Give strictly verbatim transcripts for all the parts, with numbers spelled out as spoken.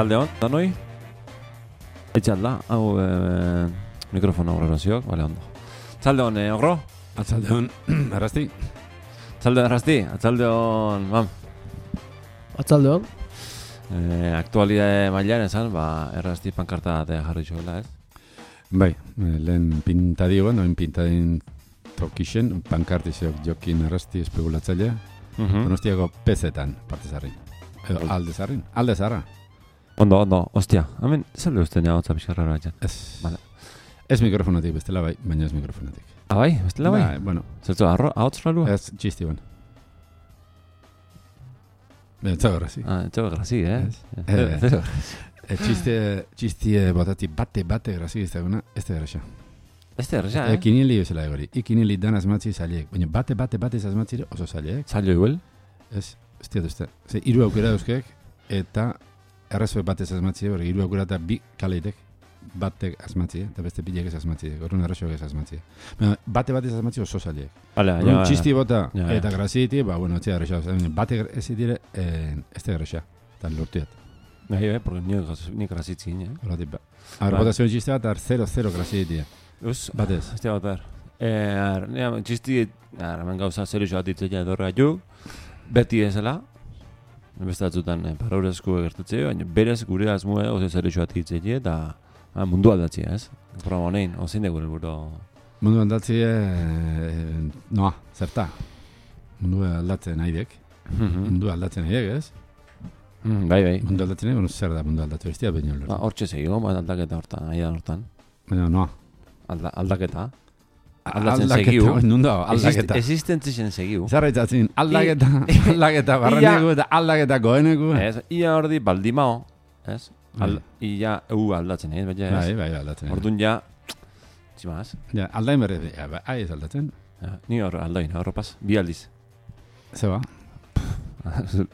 Atzalde hon, danoi? Etxalda, hau e, mikrofono grabazioak, bale ondo. Atzalde hon, eh, ogro? Atzalde hon, arrasti? Atzalde hon, arrasti? Atzalde hon, bam. Atzalde hon? E, aktualidade mailean esan, ba, errasti pankarta batea jarri zuela, ez? Bai, lehen pintadigo, noin pintadin tokixen, pankartizok jokin arrasti espekulatzailea, Uh-huh. Donostiako pezetan parte zarrin. Edo alde zarrin, alde zarra. Ondo, ondo, ostia, hemen, zalde uste nea hotza pixarra batxan. Ez, Vale. ez mikrofonatik bestela bai, baina ez mikrofonatik. Ah, bai? Bestela bai? Bai, bueno. Zertu, ahotz rarua? Ez, txisti bon. Etzago grazi. Ah, etxo grazi, eh? Ez. Zero. E, txiste, txisti botati bate, bate grazi ez daguna, ez da graxa. Ez da erresa, E, eh? kinili bezala egori. Ikinili dan asmatzi zailek. Baina bate, bate, bate asmatzire oso zailek. Zailo igual? Ez, ez diat uste. Ze, hiru aukera euskek, eta errazue batez asmatzire, hori hiru aukera eta bi kaleitek batek asmatzire, eta beste bilek ez asmatzire. Gorun errazoak ez asmatzire. Baina, bate batez asmatzire oso zailek. Vale, ja, Orduan, ja. txisti bota, Ja, ja. eta graziti, ba, bueno, etxea erraxa. Bate ez dire, eh, ez da erraxa. Eta lortuat. Bai, eh, porque nio ni grazitzin, eh? Horatik ba. Ar, Bai. bota zuen txiste bat, ar zero zero grazitia. Us, Batez. ez da batar. Eh, ar, nea, txisti, ar, hemen gauza zer bat ditzea edorra ju, beti ezela, beste batzutan eh, paraurezko gertatzea, baina berez gure asmoa oso zer bat ditzea, eta ah, mundu aldatzea, ez? Programa honein, ozein dugu helburu. Mundu aldatzi, eh, noa, zerta. Mundu aldatzen naidek. Mhm. Mundu aldatzen naidek, ez? Mm, bai, bai. Mundu aldatzen naidek, bueno, zer da mundu aldatu, ez dira baino lor. Ba, hortxe segio, ba, aldaketa hortan, aidan hortan. Baina, noa. Alda, aldaketa. Aldatzen Aldaketa, segiu. nundo, aldaketa. Existentzien segiu. Zarraitzatzen, aldaketa, aldaketa, barreneku eta aldaketa goeneku. Ez, ia ordi baldimao, ez? Al, ia eu aldatzen, ez? Baina Bai, ez? bai, aldatzen. Orduan ja, tximaz. Ja, aldain berre, ja, ba, ai ez aldatzen. Ja, ni hor aldoin, horropaz, bi aldiz. Zeba,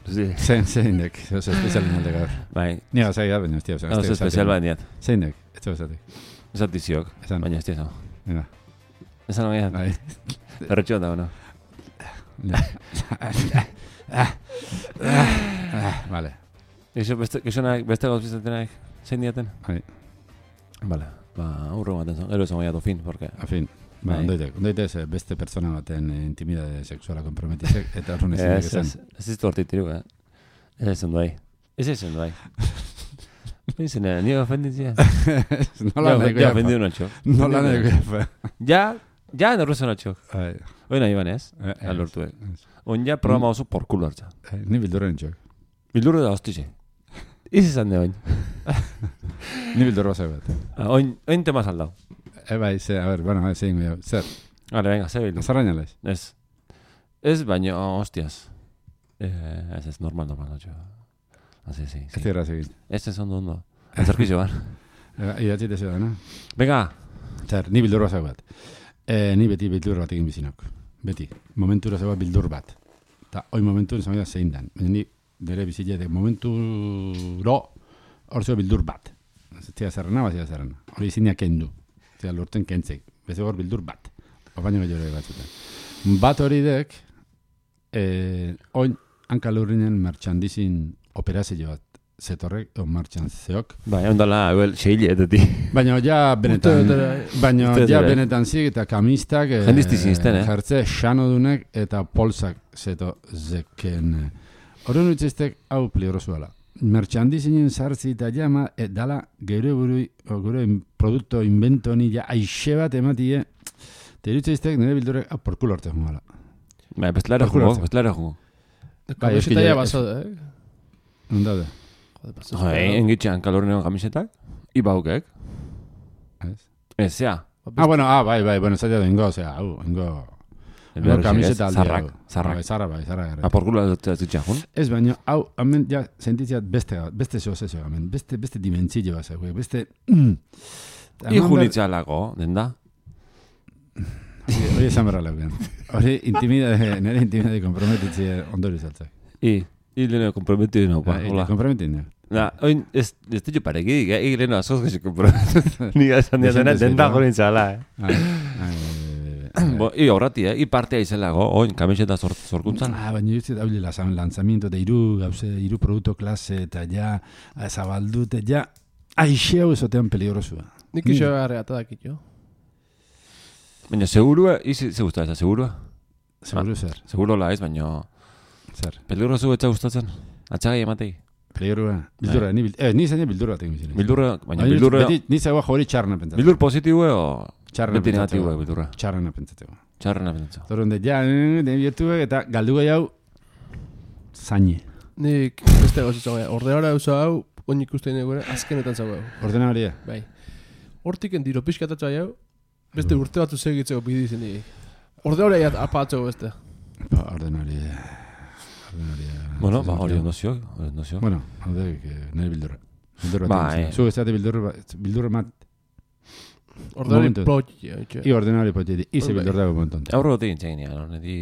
Sí. zein, zein dek, oso espezialin alde gaur. Bai, Ni hau zai da, baina ez dira, oso oso espezial bat niat. Zein dek, ez dira esatik. Ez altiziok, Esan, baina ez tiesa. mira, Esan hori, bai. erretxo da, bueno. Vale, Eixo beste, eixonak, beste gauz bizatenak, zein diaten? bai, Vale, ba, aurro baten zon, gero esan goiatu fin, porque... afin. Ba, Bai. ondoitek, ondoitek ze beste pertsona baten eh, intimidade sexuala komprometizek, eta horren ezin Ez, esan. ez, ez iztu hortik tiru, eh? Ez ez ondo bai. Ez ez ondo bai. Pensen, nio ofenditzia. Nola Ja, nahiko ja, jafa. ofendidu notxo. Nola nahiko jafa. Ja, ja, nerruzo notxo. Bai, Hoi nahi banez, eh, eh, alortuek. ez. On ja programa oso porkulo hartza. Eh, Ni bildurren txok. Bildurro da hostize. Iz izan de oin. Ni bildurro zai bat. Ah, Oin, oin tema saldau. E bai, ze, a ber, bueno, zein goi, zer, Vale, venga, ze bildu. azarraina laiz. Ez. Ez, baina, hostias. Eh, ez ez, normal, normal, notxo. Asi, si, Ez si. dira zegin. Ez ez ondo, ondo. Antzerkizo ban. Idatzi tezu da, no? Venga, Zer, ni bildurro zai bat. E, ni beti bildur bat egin bizinok. Beti. Momentura zai bat bildur bat. Ta, hoi momentu zai da zein dan. Baina ni bere biziletek momenturo hor zio bildur bat. Zia zerrena, bat zia zerrena. Hori izinia kendu. Zia lorten kentzek. Beze hor bildur bat. Baina gehiago batzutan. Bat hori dek, eh, oin hankalurrinen merchandising operazio bat zetorrek, o martxan zeok. bai, ondala, euel, seile, eteti. Baina ja benetan, Urte betera, baina Urte ja betera. benetan zik eta kamistak, eh, Jendisti zinezten, eh? Jertze xanodunek eta polsak zeto zeken. Horren utziztek hau pliorozuela. Merchandisingen sartzi eta jama, e, dala gure burui, o, gure in- produkto invento ni ja aixe bat ematie, eta irutziztek nire bildurek hau porkulo arte jungala. Bai, bestelare Porkulo jugo, hartzen. bestelare jugo. Bai, eski Kamiseta ja- ja basado, eh? Ondaude, Joder, pasó. Jo, engitxean kalorrenean kamisetak, ibaukek. ez? Ez, zea. Ah, bueno, ah, bai, bai, bueno, zaila ingo, osea, hau, ingo, ingo kamiseta aldi hau. Zarrak, zarrak. Bai, zarra, bai, zarra garret. Aporkula dut zitxan jun. Ez baina, hau, hemen ja sentitziat beste, beste zehozezio, hemen, beste, beste dimentzio bat zeu, beste... Mm, Ijunitzalako, den da. Hori esan berra leuken. Hori intimidade, nire intimidade komprometitzi ondori zaltzak. I, i leheno komprometidu naupa, Ba, hola. komprometin, ja. Na, oin, ez, ez ditu parekik, eh? I leheno azoz gaxi komprometidu. Ni esan diatena, Dezente den da zero. jorin txala, eh? Ai, ai, Bo, i horrati, eh? I partea izelago, oin, kamiseta zor, zorkuntzan. Ah, baina ez da hile lanzamiento de iru, gauze, iru produkto klase, eta ja, zabaldut, eta ja, aixeu ezotean peligrosua. Nik iso garrea eta dakit jo. Baina, segurua, izi, ze guztua ez da, segurua? Seguro zer. Seguro la ez, baina... Zer. Peligrosu etza gustatzen? Atxagai ematei? Peligrosua. Bildurra, ni, eh, ni zaino bildurra batek bizien. Bildurra, baina bildurra... Ni zagoa jori txarrena pentsatzen. Bildur positibue o... Txarrena beti negatibue, bildurra? Txarrena pentsatzeko. Txarrena pentsatzeko. Zoron de, ja, den biertuek eta galdu gai hau, zaine. Nik beste gauzitza gai. Ordenara eusa hau, oin ikusten egure, azkenetan zago hau. Ordenaria? Bai. Hortiken diro pixkatatza hau, beste urte batu segitzeko bidizen egi. Ordenara apatzeko beste. Ba, ordenaria... Ordenaria... Bueno, ba, hori ondozio, hori ondozio. Bueno, hau da, nire bildurra. Bildurra Ba, bat. eh. Zu ez dati bildurra, bildurra mat. Ordenari Momentu. plotxe. I ordenari poteti, ize Bai. bildur dago momentu. Aurro gote gintzen ginen, hori di...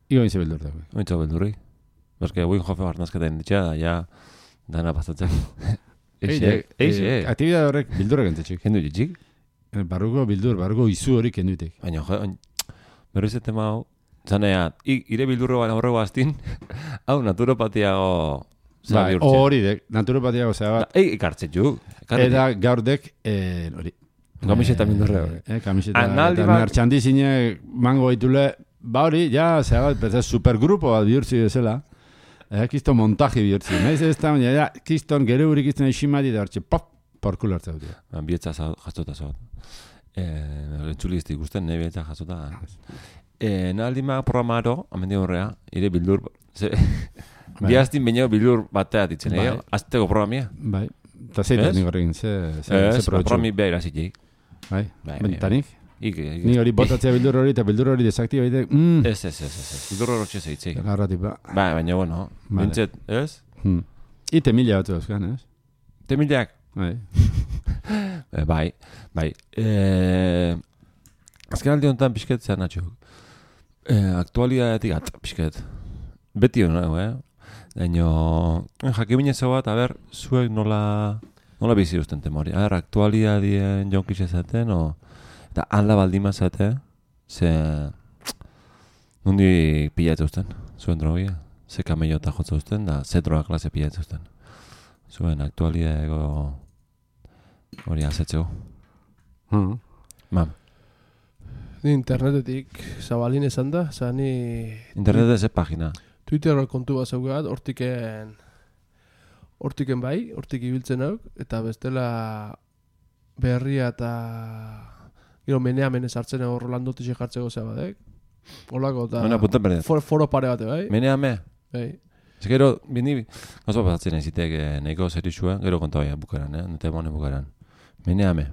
Igo ize bildur dago. Ointzo beldurri. Berke, guin jofe barnazketa inditxea, da, ja... Dana pasatzen. Eixe, eixe. Aktibidade horrek bildurra gantzetxik. Kendu jitxik? Barruko bildur, barruko izu hori kenduitek. Baina, jo, oin... Berriz ez tema hau... Zanea, ire bildurro baina horrego aztin, hau naturopatiago... Bai, hori dek, naturopatiago zea bat. Ei, ikartzen ju. Eta gaur dek, hori. Kamiseta bildurre hori. Eh, kamiseta, Analdi eta bat- merchandisine mango ditule, ba hori, ja, zea bat, bezaz, supergrupo bat bihurtzi bezala. Eh, kiston montaje bihurtzi. Naiz ez da, baina, ja, kiston gere hurik kiston esimati da hortxe, pop, porkulo hartza dut. Bietza jazota zauat. Eh, Entzuli ez ikusten, nahi bietza jazota. Eh, Nahaldima programaro, amendi horrea, ire bildur... Ze, Bai. Biaztin baino bildur batea ditzen, Bai. eh? Azteko programia. Bai, eta zeitak Ez? nik horrekin, ze, ze, ze Ez, probetxu. programi beha irazitik. Bai, Bai, bai, bai, eta nik, Ik, ik, ni hori botatzea bildur hori, eta bildur hori desaktiba baitek, mm, Ez, ez, ez, ez, ez. Bildur horretxe zeitzei. garratik, ba. Bai, baina, bueno, Vale. bintzet, ez? Hmm. Ite mila batu dauzkan, ez? Temilak. Bai. Eh, bai, bai. Eh, azken aldi honetan pixket zer natxo. Eh, aktualidadetik at, pixket. Beti hona, eh? Daino, jakibinetzo bat, a ber, zuek nola, nola bizi usten temori. A ber, aktualidadien jonkis ezaten, o... Eta ala baldima zate, ze... Nundi pilatze usten, zuen drogia. Ze kamello eta jotza usten, da ze droga klase pilatze usten. Zuen aktualidadeko hori azetzeko. Uh-huh. Mam, Ni internetetik zabalin esan da, zan ni internet ez pagina. Twitter kontu bat zaugat, hortiken hortiken bai, hortik ibiltzen hauk, eta bestela berria eta gero menea menez hartzen hor Rolandotik jartzeko zea badek. Olako eta Mena punta berdet. for, foro pare bate bai. Menea me. Bai. Ez gero, bini, gauza pasatzen ezitek eh, nahiko zerixua, gero konta baia bukaran, eh? Nete monen bukaran. Menea me.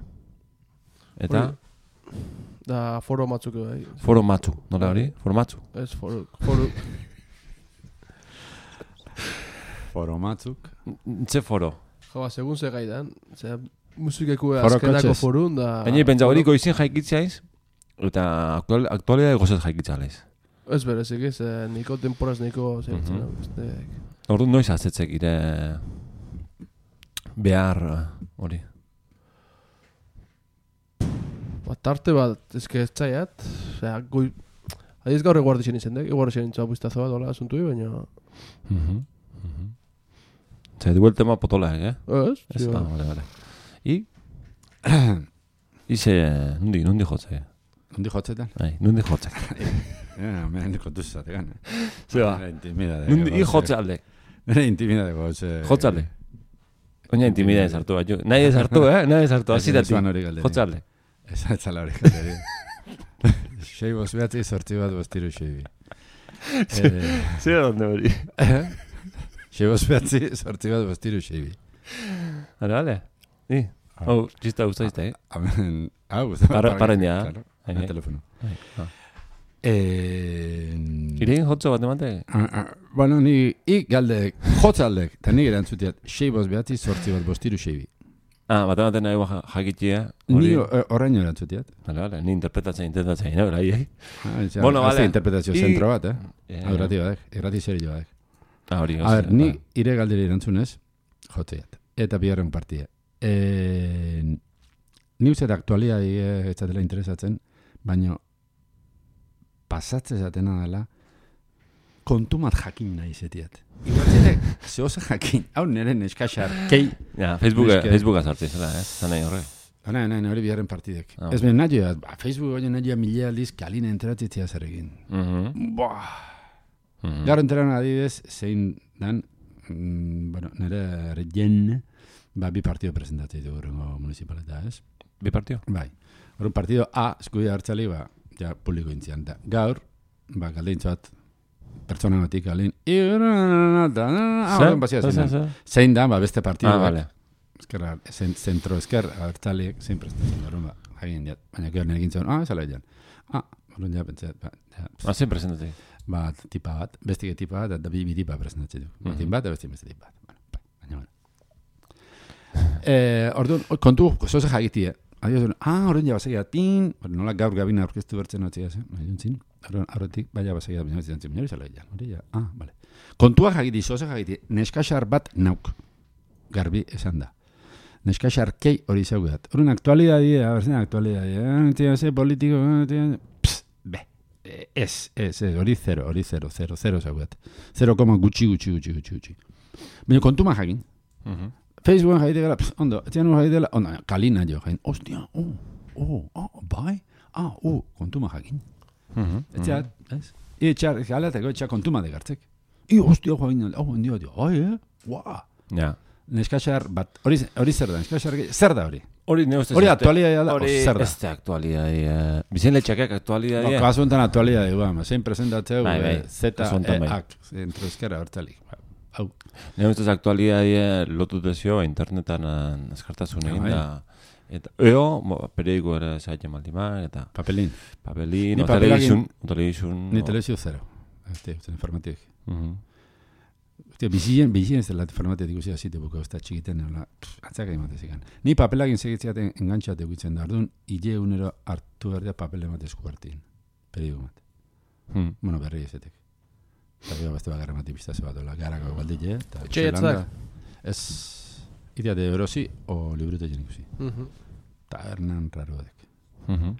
Eta, Hori. Da foro matzuk bai. foro matzu, nola hori? Foro matzu. Ez foro, foro, Foro matzuk. Ze foro. jaba, segun ze gaidan, ze musikeku Foro azkenako kotxez. forun da... Baina pentsa hori goizin jaikitzaiz, eta aktual, aktualidade gozat jaikitzalez. Ez berezik ez, eh, niko temporaz niko zertzen Mhm. hau, beste... Ordu noiz azetzek ire behar eh, hori. Ba, tarte bat, ezke ez zaiat, osea, goi... Adiz gaur eguardi zen izen dek, eguardi zen intzua buiztazo bat, hola, asuntu baina... Mhm. Mhm. Zer, dugu el tema potolaek, eh? Ez? Ez, Sí, ah, ba. vale, vale. I? Ize, nundi, nundi jotze. Hundi jotzetan? Bai, nundi jotze. Ja, mena nik kontuz zategan. Zeba, Nera intimidade. nundi, i jotze alde. Nera intimidade gotze. Jotze alde. Oina intimidea ezartu bat, jo. Nahi ezartu, eh? Nahi ezartu, azitatik. Zuan hori galderi. Jotze alde. Ez atzala hori galderi. Sei boz behatzi sortzi bat bostiru seibi. Eh, Zer donde hori. Sei boz behatzi sortzi bat bostiru seibi. Vale, vale. I, hau, txista guztu izte, eh? Amen. Hau, Parra- parren ja. Claro, Bai, el bai. teléfono. Ah. Eh, Irein jotzo bat emate? ah, ah, bueno, ni i galdek, jotzaldek, eta nik erantzutiat, sei boz behatzi sortzi bat bostiru seibi. Ah, bat ematen nahi ja- jakitia. Ni Hori. eh, oraino erantzutiat. Vale, vale, ni interpretatzen, intentatzen, no, bai, eh? Ah, ja, Bueno, haste vale. interpretazio I- zentro bat, eh? Eh, Hau irrati badek, irrati serio badek. Ah, hori, A ber, hori, ni bai. ire galderi erantzunez, jotzeat. Eta bigarren partia. E, ni uste aktualidadi ez zatela interesatzen, baina pasatzen zatena dela, kontumat jakin nahi zetiat. Igualtzerek, zehose jakin, hau nire neskaxar, kei. Ja, Facebooka, Facebooka sartzen zela, eh? Zan nahi horre. Hora, nahi, hori biharren partidek. Ah. Ez ben nahi, ba, Facebook hori nahi milea aldiz kalina enteratzea zer egin. Mhm. Boah. Mhm. Gaur enteran adibidez, zein dan, mm, bueno, nire regen, ba, bi partido presentatzea dugu rengo municipaleta, ez? Bi partio? Bai. Horren partido A, eskubide hartzali, ba, ja, publiko intzian. Da, gaur, ba, galdeintzu bat, pertsona batik galin, horren bazia zein. Zein da, ba, beste partido. Ah, vale. Ezkerra, zentro esker, hartzaliek, zein prestatzen horren, ba, hagin diat. Baina gero nire gintzen, ah, ezala dian. Ah, horren ja, pentsat, ba, ja, Ah, zein presentatzen. ba, tipa bat, bestik tipa bat, eta bi, bi tipa presentatzen du. Mhm. Batin bat, eta bestik beste tipa bat. Bueno, bai, baina, bueno. Eh, orduan, kontu, zoze jagitie. Adiós, ah, horren ja basegia, tin, nola gaur gabina aurkeztu bertzen notzia, eh? Nahi duntzin, horretik, baina basegia, baina baina baina baina baina baina ah, vale. Kontua jagiti, zoze jagiti, neskaxar bat nauk, garbi esan da. Neskaxar kei hori zaugat. Horren aktualidadi, abertzen aktualidadi, eh, tia, ze politiko, tia, pss, be, ez, ez, ez, hori zero, hori zero, zero, zero zaugat. Zero koma gutxi, gutxi, gutxi, gutxi, gutxi. Baina kontuma jagin. Mhm. Facebooken jaite gara, pss, ondo, etxean ur jaite gara, ondo, kalina jo jain, ostia, oh, oh, oh, bai, ah, oh, kontuma jakin. Mhm. Etxeat, ez? I etxar, galateko etxar kontuma degartzek. I, ostia, jain, oh, ondio, dio, ai, eh, guau. Ja. Neskaxar bat, hori hori zer da, neskaxar, zer da hori? Hori ne ustez. Hori aktualitatea da, Hori zer da? ez da aktualitatea. Bizen letxakak aktualitatea. Ba, kasu enten aktualitatea, ba, zein presentatzeu, Bai, bai, Z, kasu honetan bai. E, ak, zentro eskera hortzalik. Hau. Ne ustez aktualitatea lotu dezio internetan azkartasun egin Bai. da. Eta eo, mo, periodiko ere zaitzen maldima, eta Papelin. papelin, Ni o papelagin- telebizun, o telebizun. Ni o- telebizio zero. Este, usten informatik. Mhm. Hostia, bizien, bizien ez dela informatik ikusi azite buko, ez da txikiten, nola, atzaka ematez ikan. Ni papelagin segitzeaten engantxat eguitzen da, orduan, hile unero hartu berdea papel ematezku hartin. Periodiko bat. Hmm. Bueno, berri ezetek. Eta gero beste bagarra mati biztaze bat, ola, garako baldile, eta Etxeietzak? Ez, idea de erosi, o librute jen ikusi. Mhm. Tabernan raro dek. Mhm.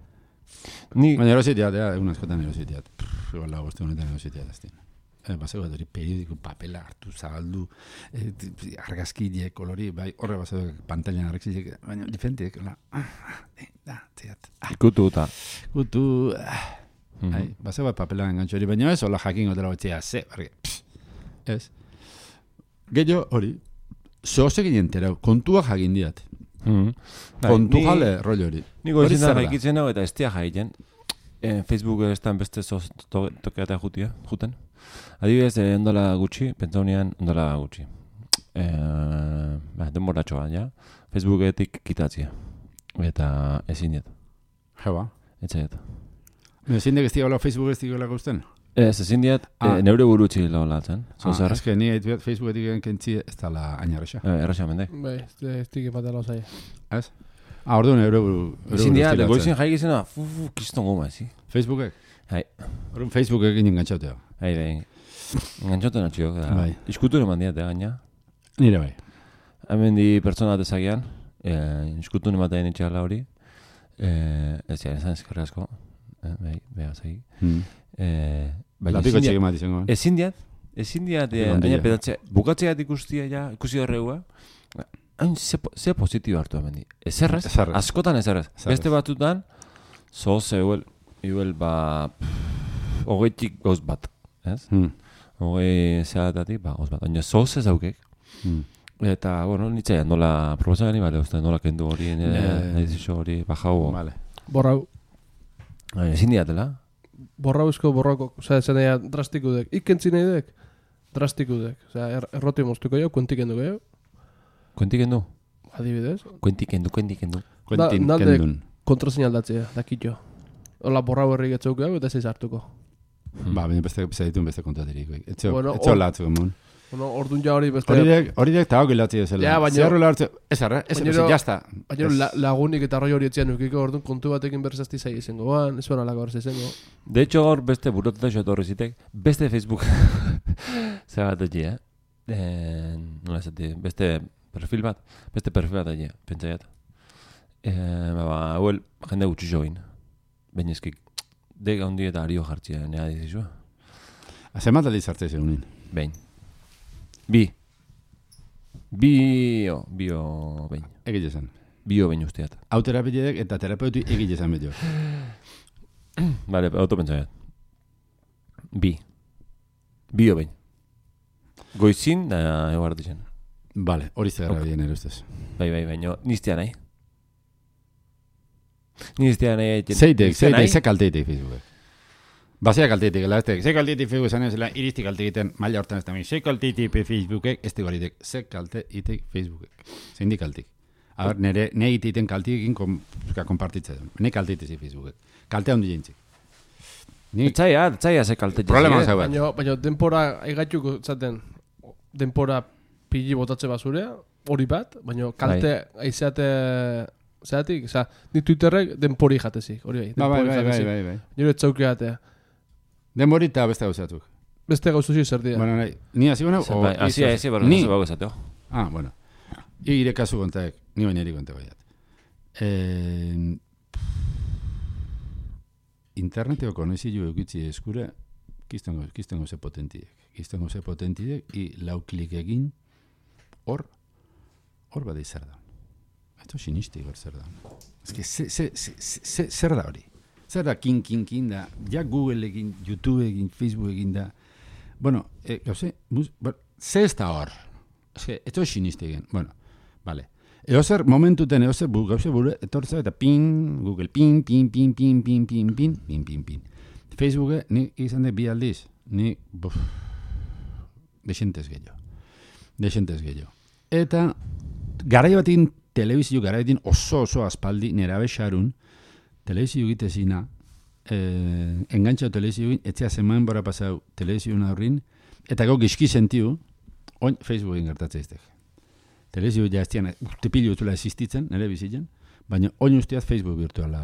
Ni, Baina erositeat, ja, egun askotan erositeat. Igual la boste honetan erositeat azten. Eh, basego bat hori periodiko papela hartu, zabaldu, eh, argazkide, kolori, bai, horre basego pantailan argazkide, baina diferentek, hola, ah, eh, da, teat, ah, ikutu eta. gutu, ah, Mhm. Hai, basego bat papela engantxo hori, baina ez, hola jakin gotela batzea, ze, barri, pss, ez. Gehiago hori, zoze ginen terau, kontua jagin diat. Mhm. Bai, Kontu ni- jale rollo hori. Niko Hori ezin da zer da? jaikitzen hau eta ez tia jaiten. Eh, Facebook ez da beste zoz to, tokeatea jutia, juten. Adibidez, eh, ondola gutxi, pentsaunean ondola gutxi. Eh, ba, denboratxo bat, ja. Facebooketik kitatzia. Eta ezin diet. Jeba. Etxaiet. Ezin dek ez diagala Facebook ez diagala guzten? Ez, ezin diet, Ah. eh, neure burutzi laulatzen. Ah, Zozer, ez que ni haitu Facebooketik kentzi ez dala ainarresa. eh, erraxa mendek. Bai, ez ez dik batela zai. Ez? Ah, orduan euro buru. Ezin diat, goizin jaikizena, fu, fu, kiston goma, ezi. Facebookek? Hai. Orduan Facebookek inen gantxautea. Hai, bai. Engantxoten atxiok, da. Bai. Iskutu eman diat, gaina. Nire bai. Hemen di pertsona dezagian, eh, iskutu ematen itxala hori. Eh, ez ja, esan eskerra asko. Eh, bai, beha zagi. Hmm. Eh, baina Lapiko ezin txik diat, emat izango. ezin diat, ezin diat, eh, Ondila. aina pedatzea, bukatzeat ikustia ja, ikusi horreua, hain ze, po- ze positibo hartu hemen di. Ezerrez, Ezerrez. askotan ezerrez. Ezerrez. Beste batutan, zoz euel, euel, ba, pff, hogeitik gauz bat, ez? Hmm. Hogei zeatatik, ba, gauz bat. Baina zoz ez aukek. Hmm. Eta, bueno, nitzea, nola proposa gani, bale, uste, nola kendu hori, Ja. edizio hori, bajau. Vale. Borrau. Baina, ezin diatela. Borrauzko borrako, osea, esan nahi drastiku dek. Ikentzi nahi dek, drastiku dek. Osea, er, erroti moztuko jau, kuentik enduko jau. Kuentik endu? Adibidez. Kuentik endu, kuentik endu. Quentin nalde- Kendun. Kontrasein aldatzea, dakitxo. Hola, borrau herri getzauko jau, eta zeiz hartuko. Ba, baina beste zaitun beste kontatirik. Etxo, Bueno, etxo hor- latzu emun. Bueno, ordun ja hori beste... Horidek, horidek eta hau gilatzi ezela. Ja, baina- Zerro lartzu, ez arra, ez Baina- arra, jazta. Baina la, lagunik eta roi hori etxean ukiko, orduan kontu batekin berzazti zai izango ban, ez bera lako berz izango. De hecho, gaur beste burotuta etorri zitek, beste Facebook zabat egi, eh? eh? Nola esati, beste perfil bat, beste perfil bat egi, pentsaiat. Eh, ba, ba, hauel, jende gutxi join. Baina eskik, Dek handi eta ario jartzea, nea dizizua. Zemat aldiz hartzea zegoen. Behin. Bi. Bio, bio, behin. Egile zen. Bio behin usteat. Hau terapeutik eta terapeutu egile zen beto. Vale, autopentsaiat. Bi. Bio behin. Goizin da eguartu zen. Vale, hori zer gara bien erostez. Bai, bai, baina niztea nahi. Niztea nahi. Zeitek, zeitek, ze kalteitek Facebookek. Basea kalteitek, elaztek. Ze kalteitek Facebook zanen zela, irizti kalte egiten, maila hortan ez da. Ze kalteitek Facebookek, ez dugu aritek. Ze kalte itek Facebookek. Zein di kaltik. A ber, nire, nire iteiten kaltikekin kompartitzen. Nire kalteitezi Facebookek. Kaltea hondi jentzik. Etzaia, etzaia ze kalte. Problema zau bat. Baina, baina denpora aigatxuko zaten, denpora pili botatze basurea, hori bat, baina kalte aizeate zeatik, oza, ni Twitterrek denpori jatezik, hori bai. Ba, bai, bai, bai, bai, bai. Nire etzauki jatea. Denbori eta beste gauzatuk. Beste gauzuzi zer dira. Bueno, nahi, ni hasi gona, o... Hasi hasi, barra ni... nazo bago esateo. Ah, bueno. Ire kasu kontaek, ni baina eri konta baiat. Eh... Interneteko konezio egitzi eskura, kiztengo, kiztengo ze potentiek. Kiztengo ze potentiek, i lau klik egin, hor, hor bada izar da. Esto sinisti hor zer da. Ez que, ze, ze, ze, ze, zer da hori? Zer da kin, kin, kin da, ja Google egin, YouTube egin, Facebook egin da. Bueno, eh, gauze, mus, bueno, ze ez da hor? Ez que, esto sinisti egin. Bueno, vale. Eo zer momentuten, eo zer gauze buru, etortza eta pin, Google, pin, pin, pin, pin, pin, pin, pin, pin, pin, pin. Facebook, ni izan de bi aldiz, ni, buf, desentez gehiago. Desentez gehiago. Eta, garai batin, telebizio garai batin oso oso aspaldi, nera bexarun, telebizio egitezina, eh, engantxau telebizio egin, etzea zeman bora pasau telebizio aurrin, eta gau gizki sentiu, oin Facebooken gertatzea iztek. Telebizio ja estian, urte pilu utula existitzen, nire bizitzen, baina oin usteaz Facebook virtuala,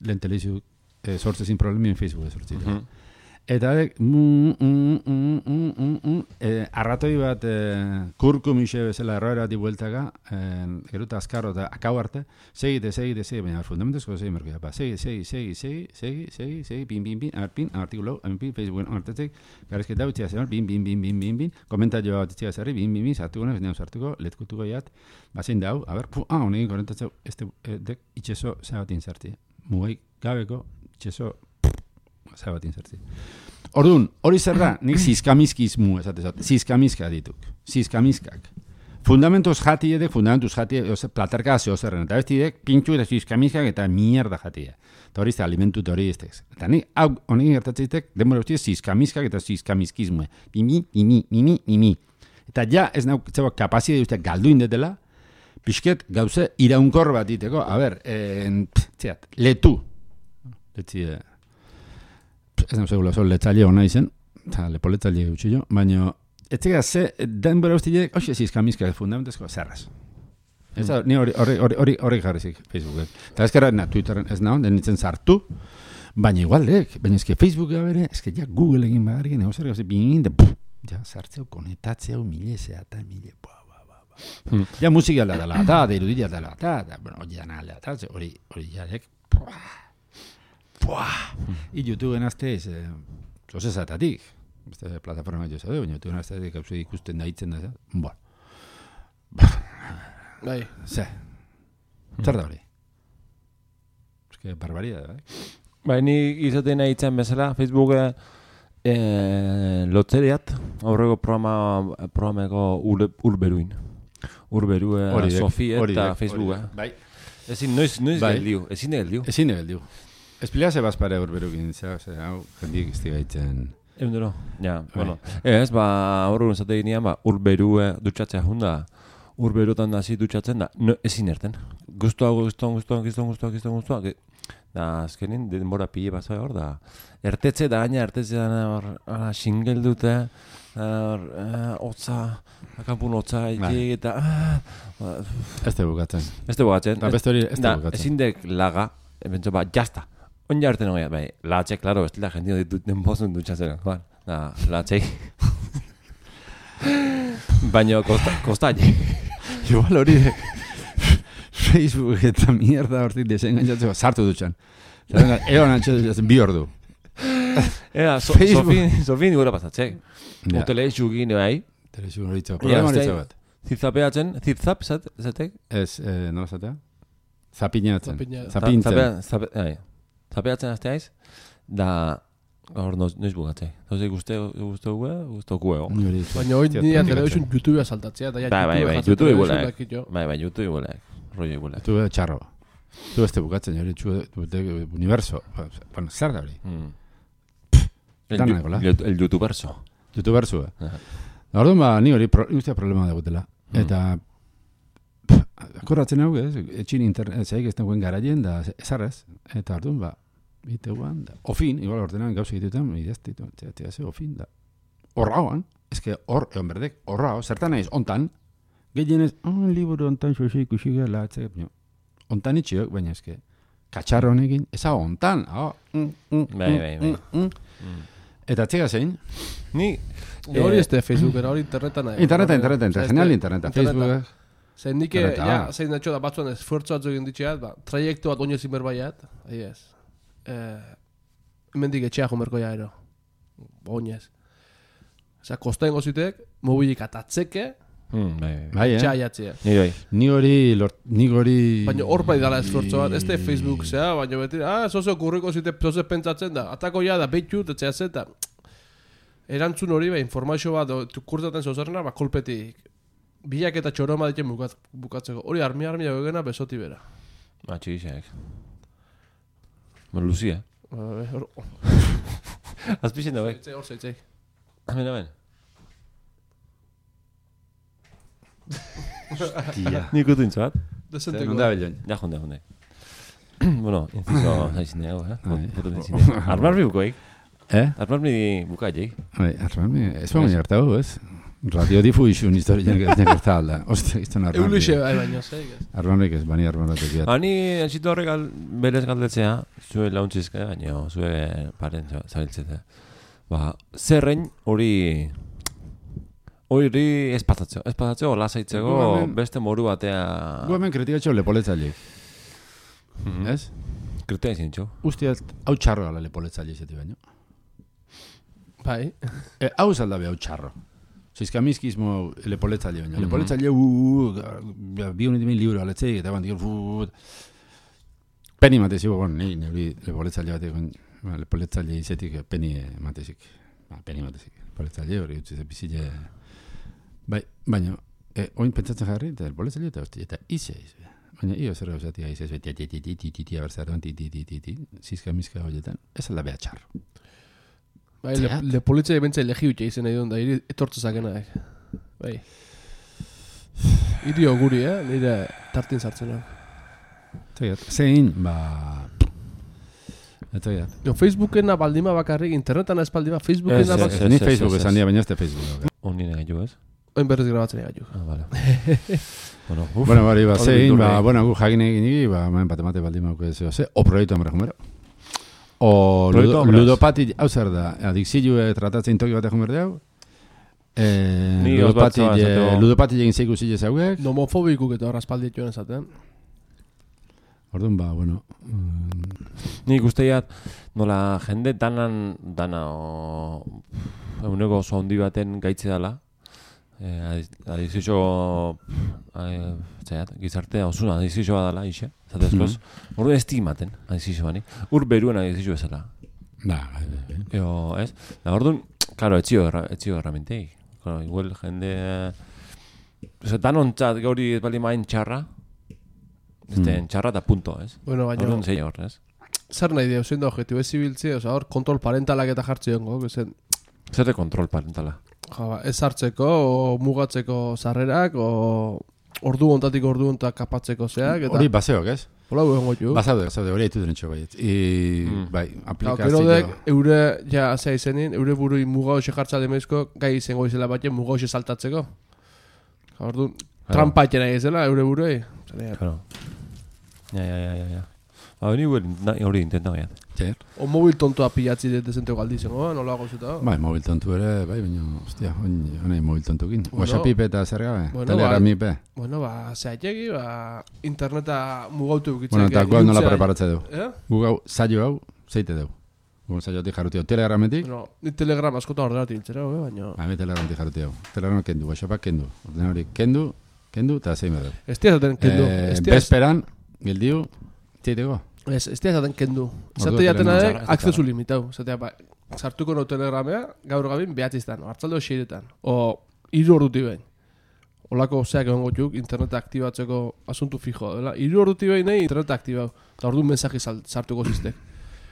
lehen telebizio eh, sortzezin problemien Facebook sortzitzen. Uh -huh. Eta mm, mm, mm, mm, mm, mm, eh, arratoi bat eh, kurkumixe bezala erroera bati bueltaka, eh, geruta azkarro eta akau arte, segite, segite, segite, baina fundamentezko segi merkoia, ba, segi, segi, segi, segi, segi, segi, segi, pin, pin, pin, amar pin, amartikulo, amar pin, Facebooken amartetzek, garezketa utzia zer, pin, pin, pin, pin, pin, pin, komentario bat utzia zerri, pin, pin, pin, sartuko nahi, neus sartuko, letkutuko jat, bazein dau, a ber, pu, ah, honekin korentatzeu, este, eh, dek, itxeso zabatin zarti, mugai gabeko, itxeso, zabatin zarti. Orduan, hori zer da, nik zizkamizkizmu esatezat, zizkamizka dituk, zizkamizkak. Fundamentuz jati edek, fundamentuz jati edek, platerka zeo zerren, eta bestidek, pintxu eta zizkamizkak eta mierda jati edek. Eta hori ez da, alimentu eta hori ez tez. Eta nik, hau, honekin gertatzeetek, denbora bestidek, zizkamizkak eta zizkamizkizmu. Mimi, mimi, mimi, mimi. Eta ja, ez nauk, zeba, kapazide usteak galdu indetela, pixket, gauze, iraunkor bat diteko, a ber, en, pff, txeat, letu. Letzi, eh, ez nago segula, zo, letzaile hona izen, eta lepo letzaile gutxillo, baina, ez zega, ze, denbora usteak, hoxe zizkamizkak fundamentezko, zerraz. Ez da, ni hori hori hori jarrizik Facebooken. Eta ezkera, na, Twitteren ez naho, denitzen zartu, baina igualek, baina ezke Facebooka bere, ezke ja Google egin bagarrik, nego zer gauze, bingin, de, puf, ja sartzeu, konetatzeu, milezea, eta mile, bua, bua, bua, bua. Hmm. Ja musika alda dela, eta, da irudia dela, eta, da, bueno, hori dana alda, eta, hori, hori jarek, bua, bua, i YouTubeen azte, ez, zoze zatatik, beste plataforma jo zade, baina YouTubeen azte, gauze ikusten daitzen da, bueno, bai, ze, zer da hori? Eske, barbaria da, bai? Bai, ni izaten nahi itzan bezala, Facebook eh, lotzeriat, aurreko programa, programeko ur, urberuin. Urberu, eh, Sofi eta Facebooka. Bai. Ezin, noiz, noiz bai. Geldiu, ezin geldiu. Ezin geldiu. Espilea ze bazpare urberukin, ze, hau, jendik izti gaitzen... Eundero, ja, bai. Bueno. Ez, ba, aurreko zate ginean, ba, urberu dutxatzea junda, urberutan da zi dutxatzen da, no, ezin erten. Guztuago, guztuago, guztuago, guztuago, guztuago, guztuago, guztuago, da, azkenin, denbora pile bat hor da. Ertetze da, gaina, ertetze da, xingel dute, hotza, akampun hotza, eta... Ez te bukatzen. Ez te bukatzen. Da, beste hori ez te bukatzen. Ezin dek laga, ebentzo, ba, jazta. On jarten hori, bai, latxe, klaro, ez dira jendino ditut denbozun dutxatzen, joan, da, latxei. Baina, kostaile. Igual hori de... Facebook eta mierda hortik desengaitzatzeko sartu dutxan. Egon antxe bi ordu. Ea, so, Facebook. Sofin, Sofin gura pasatzek. Ja. Hoteleixu gine bai. Telezu horitza. Problema horitza bat. Zitzapeatzen, zitzap, zat, zatek? Ez, eh, nola zatea? Zapinatzen. Zapina- Zapintzen. Zapea- zape- ai, Zapeatzen azte aiz, da gaur noiz, noiz bugatzei. Zozik uste, uste gue, uste kuego. Ni hori. Baina hoi Hostia, nire nik telebizun atzen. YouTubea saltatzea, eta ja Bai, bai, bai, jasaten YouTube telebizun igualak. dakit jo. Bai, bai, YouTube igualak. Rollo igualak. Tu txarro. Tu beste bukatzen, hori txu, universo. Bueno, zer da hori? Mm. El, Dana yu- egola. el, el youtuberso. YouTuberzu, eh? Aha. Orduan ba, ni hori pro, ustea problema dagutela. Mm. Eta pff, akordatzen hau, ez? Etxin internet, zeik ez dagoen garaien, da ezarrez. Eta orduan ba, iteuan, da. Ofin, igual ordenan gauz egitetan, idaztitu, txea ze, ofin, da. Horraoan, ez que hor, egon berdek, horrao, zertan naiz, ontan, gehienez, oh, liburu ontan xoxe ikusi gela, etxe, baina, ontan itxiok, baina ez que, katxarro honekin, eza ontan, oh, mm, mm, Bai, mm, bai, bai. mm, mm. Mm. Eta txega zein, Ni, Ja, hori ez da Facebookera, hori interneta nahi. interneta, interneta, interneta, Osea, genial ez da- interneta, interneta. Facebook, Zein nike, Interneta. ja, zein natxo da batzuan esfuertzu batzuk egin ditxeat, ba, traiektu bat oinezin berbaiat, ahi ez. Eh, hemendik etxea jomerko ja ero. Oinez. Osea, kostaen gozitek, mobilik atatzeke, mm, bai, bai. bai, etxea eh? jatzea. Ni bai. Ni hori, lort, ni hori... Baina hor bai dala esfuertzu bat, ez da Facebook zea, baina beti, ah, zoze okurriko zite, zoze pentsatzen da, atako ja da, beitut, etxea zeta. Erantzun hori, ba, informazio bat, kurtaten zozerna, ba, kolpetik, bilak eta txoroma ditzen bukat, bukatzeko. Hori armi-armi egena besoti bera. Ba, txigixeak. Ba, Lucia. Ba, hor- Azpixen da, bai. Zeitzei, hor zeitzei. Amen, amen. Tia. Nik utu intzuat. Desenteko. Non da bilen. Ja, jonde, jonde. bueno, inciso zaizin dago, eh? Bai. Foto zaizin dago. Armarbi bukoik. Eh? Armarbi bukaik. Bai, arrami, ez baina gertatu, ez? Radio difuizun historian gerta alda. Ostra, izan arrami. Euluxe bai baino, zeik ez. Arramik ez, bani arramatek biat. Ani, entzitu horrek al, berez galdetzea, zue launtxizka, baina zue paren zabiltzete. Ba, zerrein hori... Hori espatatzeko, espatatzeko, lasaitzeko, Gu hemen- beste moru batea... Gu hemen kritikatxo lepoletzaile, Mhm. ez? Kritea izin txo. Ustiaz, hau txarro gala lepoletzaile izate baino. Bai. E, hau zaldabe hau txarro. Zizkamizkizmo lepoletzaile baino. Mhm. Lepoletzaile, uh, uh, bi honetan libro aletzeik, eta bandik, uh, peni matezik, bueno, ni, neuri lepoletzaile batek, ba, lepoletzaile izetik peni matezik. Ba, peni matezik. Lepoletzaile hori utzi ze bizile... Bai, baina, e, oin pentsatzen jarri, eta lepoletzaile eta hosti, eta ize, ize. Baina, io zer gauzatia ize, ize, ti, ti, ti, ti, ti, ti, ti, abertzaroan, ti, ti, ti, ti, ti, zizka mizka horietan, ez alda beha txarro. Bai, le, Zeat. le politzia ebentza legi utxe izan nahi duen da, iri etortze zakenak. Bai. Irio guri, eh? Nire tartin sartzen hau. Zaiat, zein, ba... Eta zaiat. Jo, Facebookena baldima bakarrik, internetan ez baldima, Facebookena Ez, ez, bakarrik. ez. Ni Facebook esan dira, baina ez da Facebook. Honi nire gaitu ez? Oin berriz grabatzen egaitu. Ah, vale. bueno, uf. Bueno, bari, ba, Hori zein, bildu ba, nahi. bueno, gu jakin egin igi, ba, maen bat emate baldin mauko ez ze, o proiektu hamre jumero. O Proiektu ludo, hamraz. ludopati, hau zer da, adikzilue tratatzen toki bat ejumerde hau. Eh, Ni ludopati, osbatzoa esateko. ludopati egin zeiku zile zauek. Nomofobikuk eta horrazpaldi joan esaten. Orduan, ba, bueno, mm, Nik usteiat, nola jende danan, dana, o, eguneko oso handi baten gaitze dela. Eh, adizio, eh, zaiat, gizartea osuna adizioa dela, ixe, zatezkoz. Mhm. Orduan estimaten adizioani. Ur beruen adizio bezala. ba, bai, bai, bai. Eo, ez? Da, orduan, claro, etzio, erra, etzio erramentei. Claro, igual jende... Ose, danontzat gauri ez bali main txarra, ez den txarra eta punto, ez? Bueno, baina, Orduan zein hor, ez? zer nahi dio, zein da objetibo ez zibiltze, oza, hor, kontrol parentalak eta jartze jongo, zen, Zer de kontrol parentala. ja, ba, ez hartzeko, o mugatzeko sarrerak, o ordu ontatik ordu ontak kapatzeko zeak, eta Hori baseok, ez? hola guen goitu. Basaude, basaude, hori haitu dentxo baiet. I, Mm. bai, Gero aplikazio... dek, eure, ja, zea izenin, eure burui muga hoxe jartza demezko, gai izango izela batzen muga hoxe saltatzeko. Ja, ordu, trampa etxena izela, eure burui. Zene, Claro. Ja, ja, ja, ja, ja. Ba, hori hori intenta gaian. Zer? O mobil tontoa pilatzi dezente galdi zengo, nola gozuta? Bai, mobil tontu ere, bai, baina, ostia, honai mobil tontukin. Bueno, WhatsApp eta zer gabe, bueno, Telegramipe. Bueno, ba, zehategi, ba, interneta mugautu bukitzen. Bueno, eta guau nola preparatze dugu. Eh? Gu gau, saio hau, zeite dugu. Gu saiotik jaruti hau, Telegrametik. Bueno, ni telegram askotan ordenatu intzera, eh, baina... Ba, mi Telegramatik jaruti hau. Telegram kendu, WhatsAppak kendu. Ordenari kendu, kendu, eta zein dugu. Ez tia zaten kendu. Eh, bezperan, gildiu, zeiteko. Ez, ez tia zaten kendu. Ordu Zate jatena telegram dek, txarra, akzesu limitau. Zatea, ba, sartuko no telegramea, gaur gabin behatziztan, hartzaldo xeiretan. O, iru orduti behin. Olako zeak egon gotuk, interneta aktibatzeko asuntu fijo, dela. Iru orduti behin nahi interneta aktibau. Eta ordu mensaje sartuko ziztek.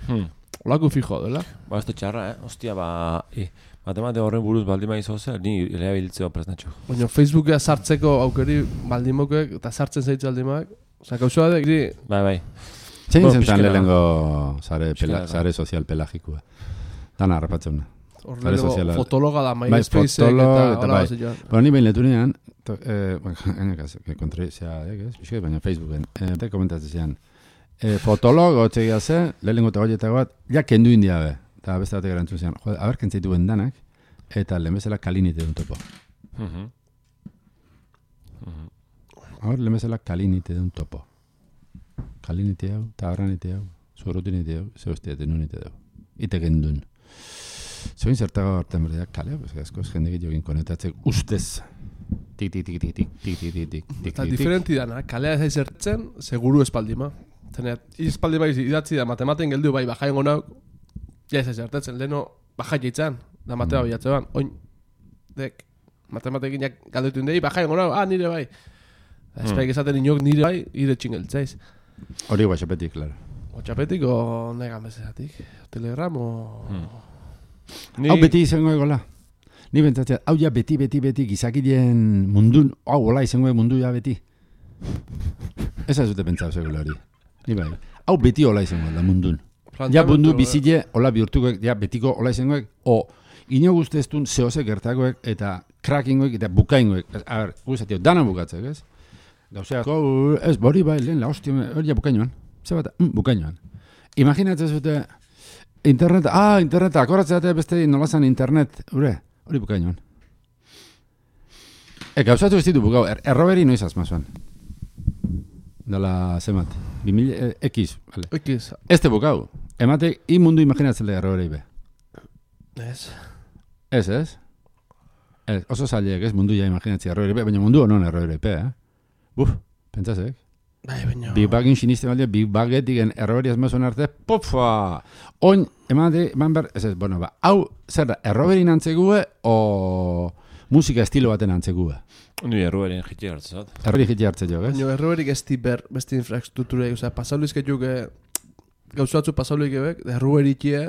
Hmm. Olako fijo, dela. Ba, ez da txarra, eh? Ostia, ba... E, matemate horren buruz baldin maizu zer, ni eleabiltzeo presnatxo. Baina Facebookea sartzeko aukeri baldimokek eta sartzen zaitzu aldimak. Osa, gauzua da, gri... Bai, bai. Zein Bueno, zentan pixkera. lehengo sare, Pixkera, pela, sare sozial pelagikua. Dana harrapatzen. Hor Sare lehenengo soziala. fotologa da, Bai, MySpace fotolog eta eta hola bai. bat zituen. Bueno, ni behin letunean, to- eh, bueno, enekaz, que kontrizia, ez? Pixket, baina Facebooken, eh, te komentatzen zian. Eh, fotolog, hotxegia ze, lehenengo eta goietako bat, ja kendu india be. Eta beste batek erantzun zian, jode, haber kentzaitu danak, eta lehen bezala kalinite duen topo. Mhm. Haber, lehen bezala kalinite duen topo. Kalinite hau, tabarranite hau, zurutinite hau, ze hostiate nunite dau. Ite gendun. Zoin zertago hartan berdeak kalea, pues askoz jende gitiokin konetatzek ustez. Tik, tik, tik, tik, tik, tik, tik, tik, tik, tik, Eta tik, diferenti dana, kalea ez zertzen, seguru espaldima. Zeneat, espaldima idatzi da matematen geldu bai bajain gonauk, ja ez zertetzen, leheno bajai jaitzan, da matema Mm. bilatzean, oin, dek, matematekin jak galdetu indei, bajain gonauk, ah, nire bai. Espaik esaten inok nire bai, ire txingeltzaiz. Hori WhatsAppetik, claro. Otxapetik o negan bezezatik, telegram o... Ni... Hau beti izango egola. Ni bentsatzea, hau ja beti, beti, beti gizakileen mundun, hau hola izango mundu ja beti. Ez ez dute pentsau zegoela hori. Ni bai. Hau beti hola izango da mundun. Ja mundu bizile, hola bihurtuko, ja betiko hola izangoek, o ino guzteztun zehose gertakoek eta crackingoek eta bukaingoek. A ber, guztatio, dana bukatzek, ez? Gauzea, go, ez, bori bai, lehen la hostia, hori ja bukainoan. Zer bat, mm, bukainoan. Imaginatzen zute, internet, ah, interneta, akoratzea beste nolazan internet, ure, hori bukainoan. E, gauzatu ez ditu bukau, er, erroberi noiz azmazuan. Dala, zemat, bimil, e, ekiz, vale. Ekiz, Ez te bukau, emate, i mundu imaginatzen le erroberi be. ez. Ez, ez? Ez, oso zailek, ez, mundu ja imaginatzen erroberi be, baina mundu honon erroberi be, eh? Buf, pentsazek? Bai, baina... Big Bagin siniste balde, Big Bagetik en erroberi azmazuen arte, pofa! Oin, emate, eman behar, ez ez, bueno, ba, hau, zer da, erroberi nantzegue, o musika estilo baten nantzegue. Ni erruaren jitxe hartzen zat. Erroberi jiti hartze jo, ez? Baina erroberik ez di ber, beste infrastruktura, osea, pasaurizketuk gauzatzu pasaulik ebek, erroberikie,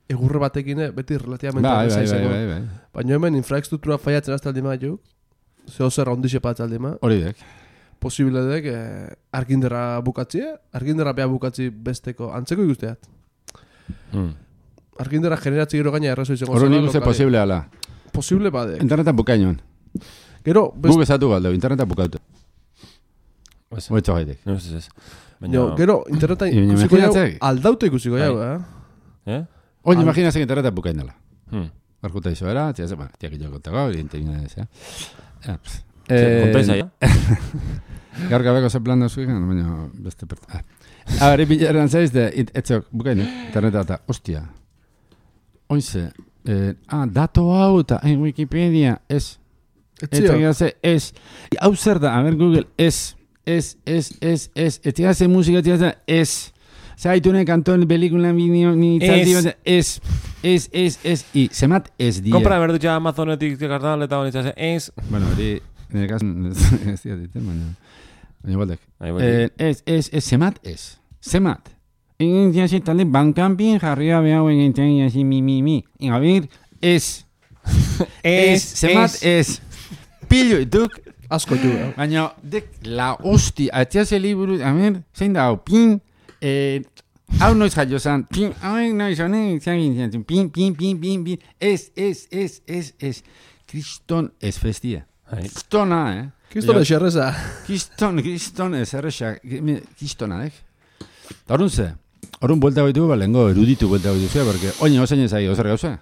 egurre batekin beti relativamente Bai, erraza bai, bai, izango. bai, bai. Baina hemen infrastruktura faiatzen azte aldima juk, zeo zer ondixe patz aldima, Hori dek. posible dek eh, arginderra bukatzie, arginderra beha bukatzi besteko, antzeko ikusteat. Hmm. Arginderra generatzi gero gaina errazo izango Hori zela, nik uste lokale. posible ala. Posible badek. Internetan bukainoan. Gero, best, Guk ezatu galdeu, internetan bukautu. Ez, Oetxo gaitek. no ez ez. jo, gero, internetan Baina ikusiko jau, imaginatzek. aldaute ikusiko jau, Bai. eh? Eh? Oin Al- imaginazek internetan bukainala. Hmm. Barkuta izo era, tia ze, bueno, tia que jo kontago, evidentemente ez, ja. Ja, pss. Kontaisa, ja? Gaur gabeko ze plan dauzuk, baina beste perta. Ah. A ber, bileran zaiz, de, etzok, bukainu, interneta eta, ostia. Oinze, eh, ah, dato hau eta, en Wikipedia, ez, Etzio, Etzia ez. Hau zer da, a ber Google, ez. Ez, ez, ez, ez. Etzia ze musika, etzia ze, ez. Zaitune kanton, pelikula, bideo, ni Ez. ez. Ez, ez, ez, ez. I, zemat ez die. Kompra berdutxa Amazonetik kartal eta honetza ze, ez. Bueno, hori, nire kasun, ez dira diten, baina. Baina baldek. Ai, bai. Eh, ez, ez, ez, zemat ez. Zemat. Egin ziasi talde bankanpin jarria behau egin ziasi mi, mi, mi. A ber, ez. Ez, zemat ez. Pillo, ituk. asko ju, eh? Baina, dek, la hosti, atziaze liburu, a ver, zein da, hau, pin, eh, hau noiz jaio zan, pin, hau noiz, honek, zagin, zagin, pin, pin, pin, pin, pin, ez, ez, ez, ez, ez, kriston ez festia. Ai. Kristona, eh? Kristo Jo. de xerreza. Kriston, kriston ez erresa, kristona, eh? Eta horren ze, horren buelta baitu, ba, lehenko eruditu buelta baitu zea, porque oin osain ezai, ozer gauza.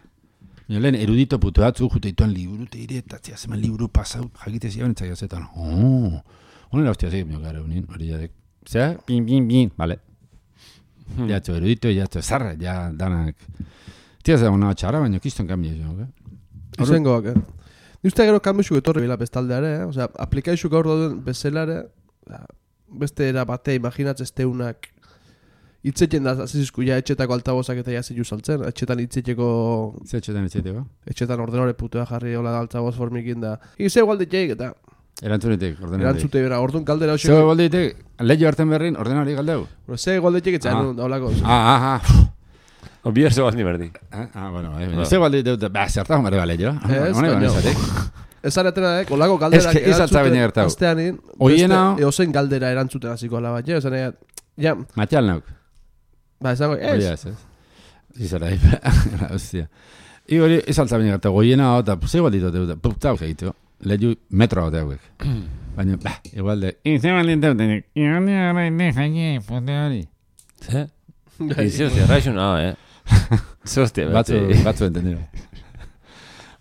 Lehen erudito putu batzu, jute ituan liburu teire, eta zia zeman liburu pasau, jakite zian, eta gazetan, oh, honera hostia zei, gara unin, hori jadek, zea, pin, pin, pin, vale. Hmm. Jatzo erudito, jatzo zarra, ja, danak. Tia zera hona txarra, baina kiston kambia izan, ok? Izengoak, eh? Ni uste gero kambixuk etorri bila bestaldeare, eh? Osea, aplikaixuk gaur dauden bezelare, beste era bate, imaginatzen esteunak, itzetien da, azizizku, ja, etxetako altabozak eta ja zilu saltzen, etxetan itzeteko... Ze etxetan etxeteko? Etxetan ordenore putua jarri, hola da altaboz formikin da. Ize igual ditzeik, eta... Erantzunetik, ordenari. Erantzute bera, orduan kaldera hoxeko... Ze igual ditek, lehio hartzen berrin, ordenari galdeu? Ze igual ditzeik etxean, da holako. Ah, ah, ah. Obier ze baldi berdi. Ah, bueno, ze igual ditek, ba, zertago marre bale, jo? Ez, baina... Ez aretena, eh, olako galderak erantzute, azteanin, beste eozen galdera erantzuten hasiko ala bat, ja, esan egin, ja... Matial nauk. Ba, esango, ez. Hori ez, ez. Izara, hostia. I hori, ez altza baina gertu, goiena hau, eta ze igual ditu, eta putau segitu, lehiu metro hau hauek. Baina, ba, igual de... Ize baldin teuten, ione hori nefai, pute hori. Ze? Ize, hostia, raixun hau, eh? Ze, hostia, batzu, batzu entendido.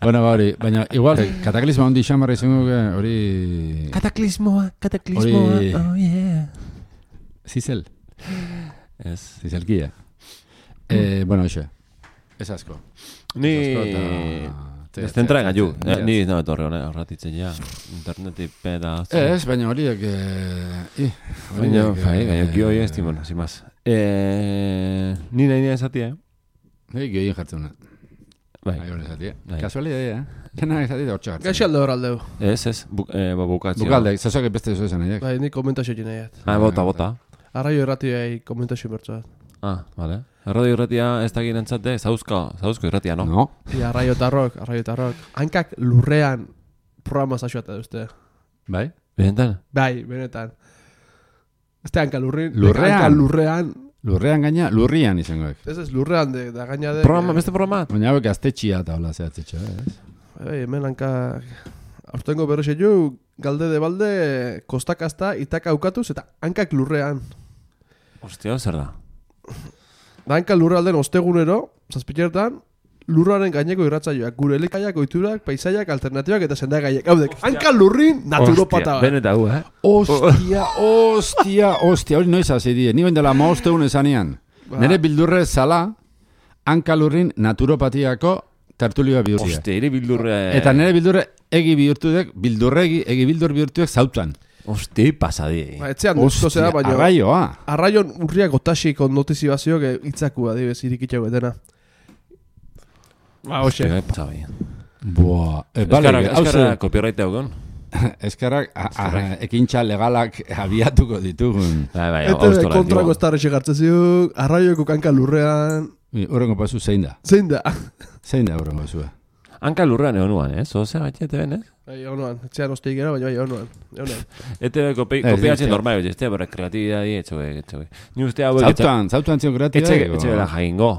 Bueno, ba hori, baina igual, kataklismoa hondi xamarra izango hori... Kataklismoa, kataklismoa, hori... oh yeah. Zizel. Ez. Zizelkia. Eh, bueno, hoxe. Ez asko. Ni... Ez tentra engañu. Ni no etorre horratitzen ja. Interneti peda... Ez, baina horiek... Baina, bai, baina kio hori ez timona, sin más. Ni nahi nire esatia, eh? Nei, gehien jartzen una. Bai. Kasualidade, eh? Jena esatia da hortxe jartzen. Gaxi alde hor aldeu. Ez, ez, bukatzea. Bukalde, zazoak beste zo esan nahiak. Bai, ni komentazio jine jat. Ah, bota, bota. Arraio erratiai komentazio bertzu bat. Ah, vale. Arraio erratia ez da girentzate, zauzko, zauzko erratia, no? No. I arraio tarrok, arraio tarrok. Hankak lurrean programa zaxuata duzte. Bai? Benetan? Bai, benetan. Ez te hanka lurrin. Lurrean? Hanka lurrean. Lurrean gaina, lurrian izangoek. Ez ez, lurrean de, da gaina de... Programa, beste programa? Baina hauek aztetxia eta hola zehatzetxo, ez? Bai, hemen hanka... Hortengo berrexe jo, galde de balde, kostakazta, itaka aukatuz, eta hankak lurrean. Ostia, zer da? Da hanka lurralden ostegunero, zazpitertan, lurraren gaineko irratzaioak, gure elikaiak, oiturak, paisaiak, alternatibak eta sendagaiak. Haudek, hanka lurrin naturopata bat. Beneta hu, eh? Ostia, ostia, ostia, hori noiz hasi die. Ni bendela maosteun esanean. Ba. Nere bildurre zala, hanka lurrin naturopatiako tertulioa bihurtia. Ostia, ere bildurre... Eta nere bildurre egi bihurtuek, bildurregi, egi bildur bihurtuek zautan. Ostia, pasadi. Ba, etxean duzko zera, baina... Arraioa. Arraion urriak otasik notizibazioak itzakua, dibez, irikitxau betena. Ba, hoxe. Boa. E, vale, Eskarra copyright haugon. Eskarrak ekintza legalak abiatuko ditugun. Bai, bai, eta kontrako estarre xegartzen ziuk, arraioeko kanka lurrean. Horrengo pasu zein da? Zein da? Zein da horrengo pasua? Hanka lurrean egon nuan, eh? Zozea bat ete ben, eh? Bai, egon nuan. Etxean osteik era, baina bai, egon nuan. Ete kopiatzen normal, ez te, bera kreatibidadi, etxoge, etxoge. Ni uste hau... Zautan, zautan zion kreatibidadi. Etxe bera jaingo,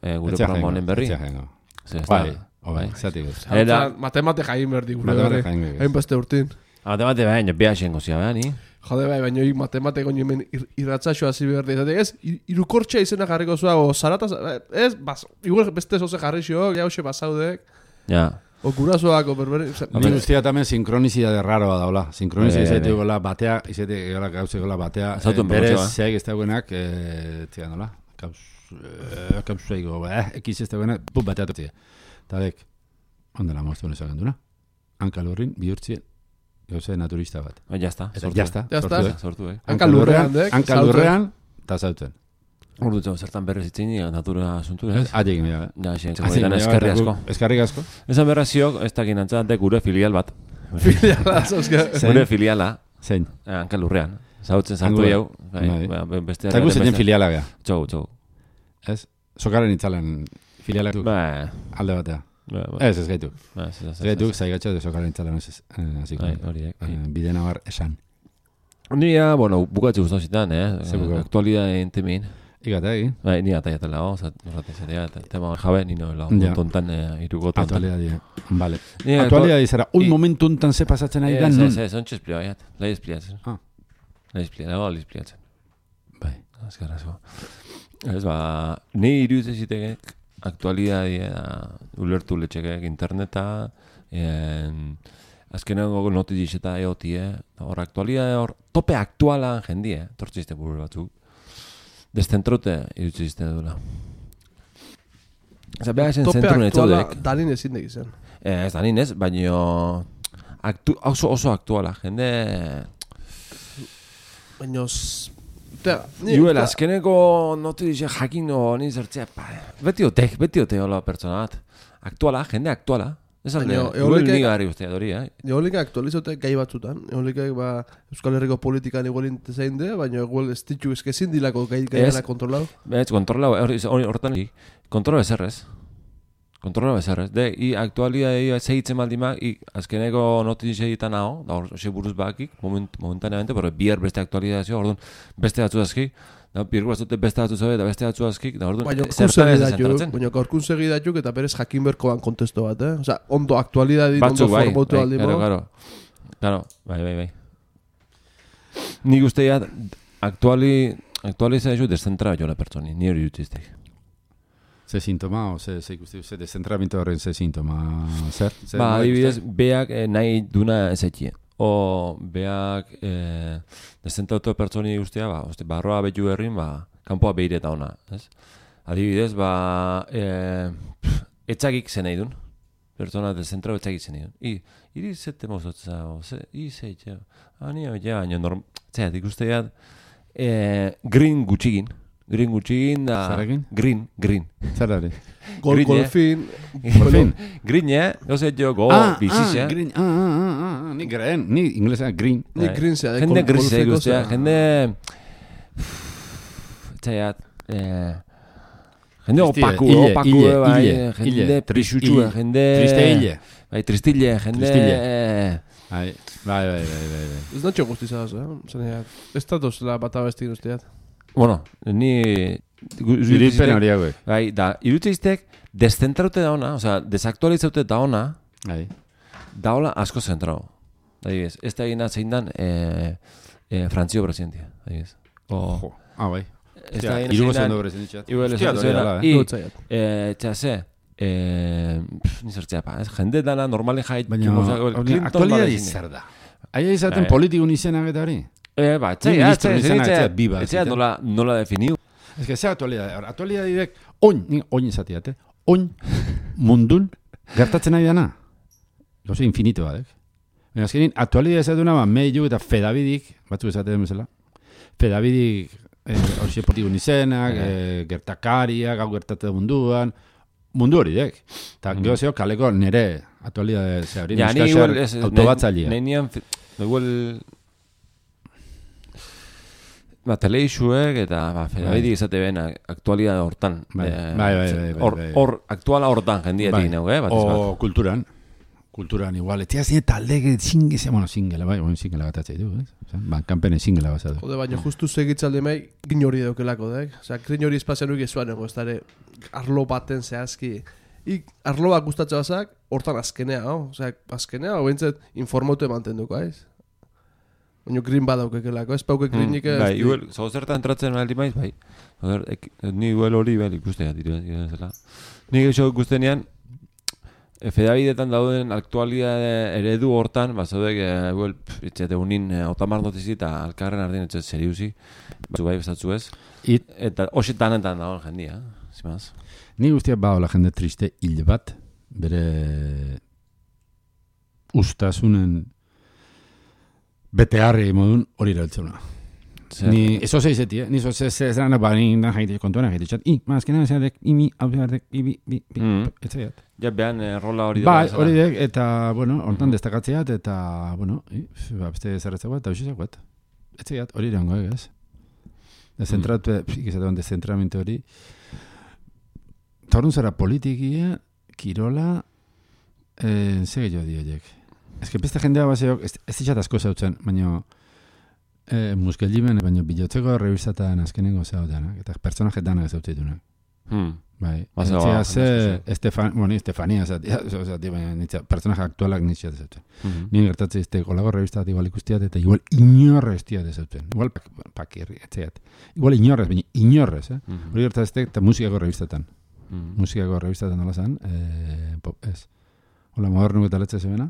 gure programa honen berri. Etxe jaingo. Bai, bai, zatik ez. Matemate jain berdi gure berri. Hain beste urtin. Matemate baina, beha xengo zia, beha, ni? Jode bai, baina matemate goño hemen irratzaxo hasi berdi. Ez, irukortxa izena jarriko zua, o zarataz, ez, igual beste zoze jarri xo, ja hoxe basaudek. Ja. O gurasoak, o berberi... Ni guztia tamen sinkronizidade raroa daula. Sinkronizidade izate gola batea, izate gola gauze gola batea. Berez, zeak ez dagoenak, tira nola, kauz eigo, ekiz ez dagoenak, put batea totzia. Tadek, ondela moztu honesak genduna. Hanka lurrin, bihurtzien, gauze naturista bat. Ba, jazta, sortu. Jazta, sortu, eh. Hanka lurrean, dek, hanka lurrean, eta zauten. Ordu txau, zertan berrez itzin, natura asuntu, ez? Atekin, ja. Ja, xen, txekoetan eskerri asko. Eskerri asko. Esan berra ziok, ez dakin antzate gure filial bat. Filiala, zauzka. Gure filiala. Zein? Hanka lurrean. Zautzen zartu jau. Eta gu zeinen filiala gea. Txau, txau. Ez? Sokaren itzalen filialak du? Ba. Alde batea. Ez, ez gaitu. Ez gaitu, zaigatxa de sokaren itzalen ez. Bide nabar esan. Nia, bueno, bukatxe guztauzitan, eh? Aktualidade entemin. Igata egin? Bai, ni ata jatela, oza, norratea, tema jabe, nino, la tontan, irugotan. Aktualidade, vale. Aktualidade zara, un momentu untan ze pasatzen ari da, non? Ez, ez, ez, ontsa esplioa, jat, lai espliatzen. Ah. Lai espliatzen, nago lai espliatzen. Bai. azkarrazo. Ez, ba, ni iruditzen zitekek aktualidadea ulertu letxekek interneta, en, azkenengo notiz eta eotie, hor aktualidade hor, tope aktualan jendie, tortzizte buru batzuk, deszentrote iruditzen duela. Osa, behar ezen zentru netzaudek. Tope aktuala danin ezin zen. Ez danin ez, baino aktu, oso, oso aktuala, jende... Baina... Iuel, azkeneko notizia jakin honi zertzea, beti otek, beti otek hola pertsona bat. Aktuala, jende aktuala. Ez alde, igual niga harri guztia dori, eh? Eolika aktualizotek gai batzutan. Eolikak, ba, Euskal Herriko politikan igual intezein de, baina igual ez ditu eskezin dilako gai gaiana kontrolau. Ez, kontrolau, hortan, kontrola bezerrez. Kontrola bezerrez. De, i aktualidade segitzen maldimak, i azkeneko notizia egiten hau, da hor, xe buruz bakik, moment, momentaneamente, pero bier beste aktualizazio, orduan, beste batzu azki, da, bier batzute beste batzu zabe, da beste batzu azkik, da, orduan, zertan ez zentratzen. Baina gaurkun segidatuk eta berez jakin berkoan kontesto bat, eh? Osa, ondo aktualidadin, ondo bai, formotu bai, aldi claro, claro. Claro, bai, bai, bai. Nik usteat, aktuali, aktualizazio deszentra jola pertsoni, ni hori jutiztek. Ze sintoma, o ze, ze ikusti, ze dezentramentu horren ze sintoma, zer? zer ba, adibidez, beak eh, nahi duna ezekie. O beak eh, dezentratu pertsoni guztia, ba, oste, barroa betu herrin, ba, kanpoa behireta ona, ez? Adibidez, ba, eh, pff, etxakik zen nahi dun. Pertsona dezentrau etxakik zen nahi dun. I, iri zete mozotza, o, ze, i zeitxe, ani hau ja, baina norm, zeat, ikusteat, eh, green gutxigin. Green gutxigin da... Zarekin? Green, green. Zerari? Gol, golfin... Golfin? Green, eh? Gose jo, go, ah, bizixe. Ah, green, ah, ah, ah, ni green, ni inglesa green. Ni green zea, de jende grisea guztia, zea. jende... Txaiat, eh... Jende opaku, Ille, opaku, ille, bai, ille, jende ille, prisutxua, jende... Triste ille. Bai, tristille, jende... Tristille. eh, Bai, bai, bai, bai, bai, bai. Ez natxo guztizaz, eh? Zaneat, ez datoz la bat abestin usteat. Bueno, ni... Iripen hori hauek. Bai, da, irutzeiztek deszentraute da ona, oza, desaktualizaute da ona, Bai. da hola asko zentrao. Da, ez, ez da egina zein dan eh, eh, Frantzio presidentia, da, ez. Jo, ah, bai. Ez da egina Irugo zein zendo dan... presidentziat. Igual ez Hostia, da hori zuena, dela, i, Gotzaiat. eh, txase, eh, pff, ni zertzea pa, ez, jende dana normalen jait, Baina, aktualidadi zer da. Aia izaten Bai. politikun izenak eta hori. Eh, ba, Ni txai, ministro txai, izenak txai, etxeat bi bat, txai, ziten. nola, nola definiu. Ez que ze aktualidade. Aktualidadidek, oin, ni oin izatiate, oin mundun gertatzen ari dana. Gauze infinito badek. Baina azkenin, aktualidade ez duna, ba, meilu eta fedabidik, batzuk esaten bezala, fedabidik, hori eh, politikun izenak, eh, gertakariak, hau gertatzen munduan, mundu hori dek. Eta mm. gero zeo, kaleko nire aktualidade ze hori, Ja, ni neska igual, zer ez, autobatzailea. nahi nian, igual... Ba, teleixuek eta ba, fedabidik izate bena aktualidade hortan. Bai, Eh, bai, bai, bai, bai, Hor, bai. hor, aktuala hortan jendietik neu, eh? Batez O bat. kulturan. Kulturan igual. Etia zine talde zinge, bueno, zingela, bai, bueno, zingela gatatzei du, ez? Osa, ban, kanpene zingela bazadu. Jode, baina justu segitzalde mai, gin hori daukelako, dek? Osa, gin hori espazio nuik ezuan ego, ez dara, arlo baten zehazki. Ik, arlo bat gustatza bazak, hortan azkenea, no? Osa, azkenea, hau bintzat, informatu emanten duko, aiz? Baina green badaukekelako, ez pauke greenik ez... Bai, igual, zau zertan entratzen aldi maiz, bai. Joder, ek, ni igual hori, bai, ikustea, dira, dira, zela. Ni geixo ikustenean, e, fedabidetan dauden aktualidade eredu hortan, bazaudek, e, igual, etxete unin, e, otamar notizi eta alkarren ardien etxet seriuzi, batzu bai, bestatzu ez. It, Eta hoxetan enten dagoen jendia, zimaz. ni guztiak baola jende triste hil bat, bere ustasunen betearri modun hori erabiltzuna. Ni, eso se dice, ni eso se se zana bain da jaite kontuan jaite chat. I, más que nada se de imi audioarek ibi bi bi. Etziat. Ja, behan eh, rola hori Bai, bezala. hori dek, eta, bueno, hortan destakatzeat, eta, bueno, i, ba, beste zerretzak bat, eta usizak bat. Etziat, hori irango, egaz. Dezentratu, ikizatean dezentramentu hori. Eta horren zara politikia, kirola, eh, ze gehiago dioiek. Ez que beste jendea baseok, ez, ez ditxat asko zautzen, baina eh, muskellimen, baina bilotzeko revistatan azkenengo zautenak, eta personaje danak zautzitunak. Hmm. Bai, Baza, etxea ba, ze, Estefan, bueno, Estefania, zati, zati, baina nitza, personaje aktualak nitxea dezauten. Mhm. Nien gertatzen izte, kolago revista bat igual ikustiat, eta igual inorrez tia dezauten. Igual pak, pakirri, etxeat. Igual inorrez, baina inorrez, eh? Mhm. Hori gertatzen izte, eta musikako revistatan. Mhm. Musikako revistatan nola zan, eh, pop, ez. Hola, modernu eta letze zemena?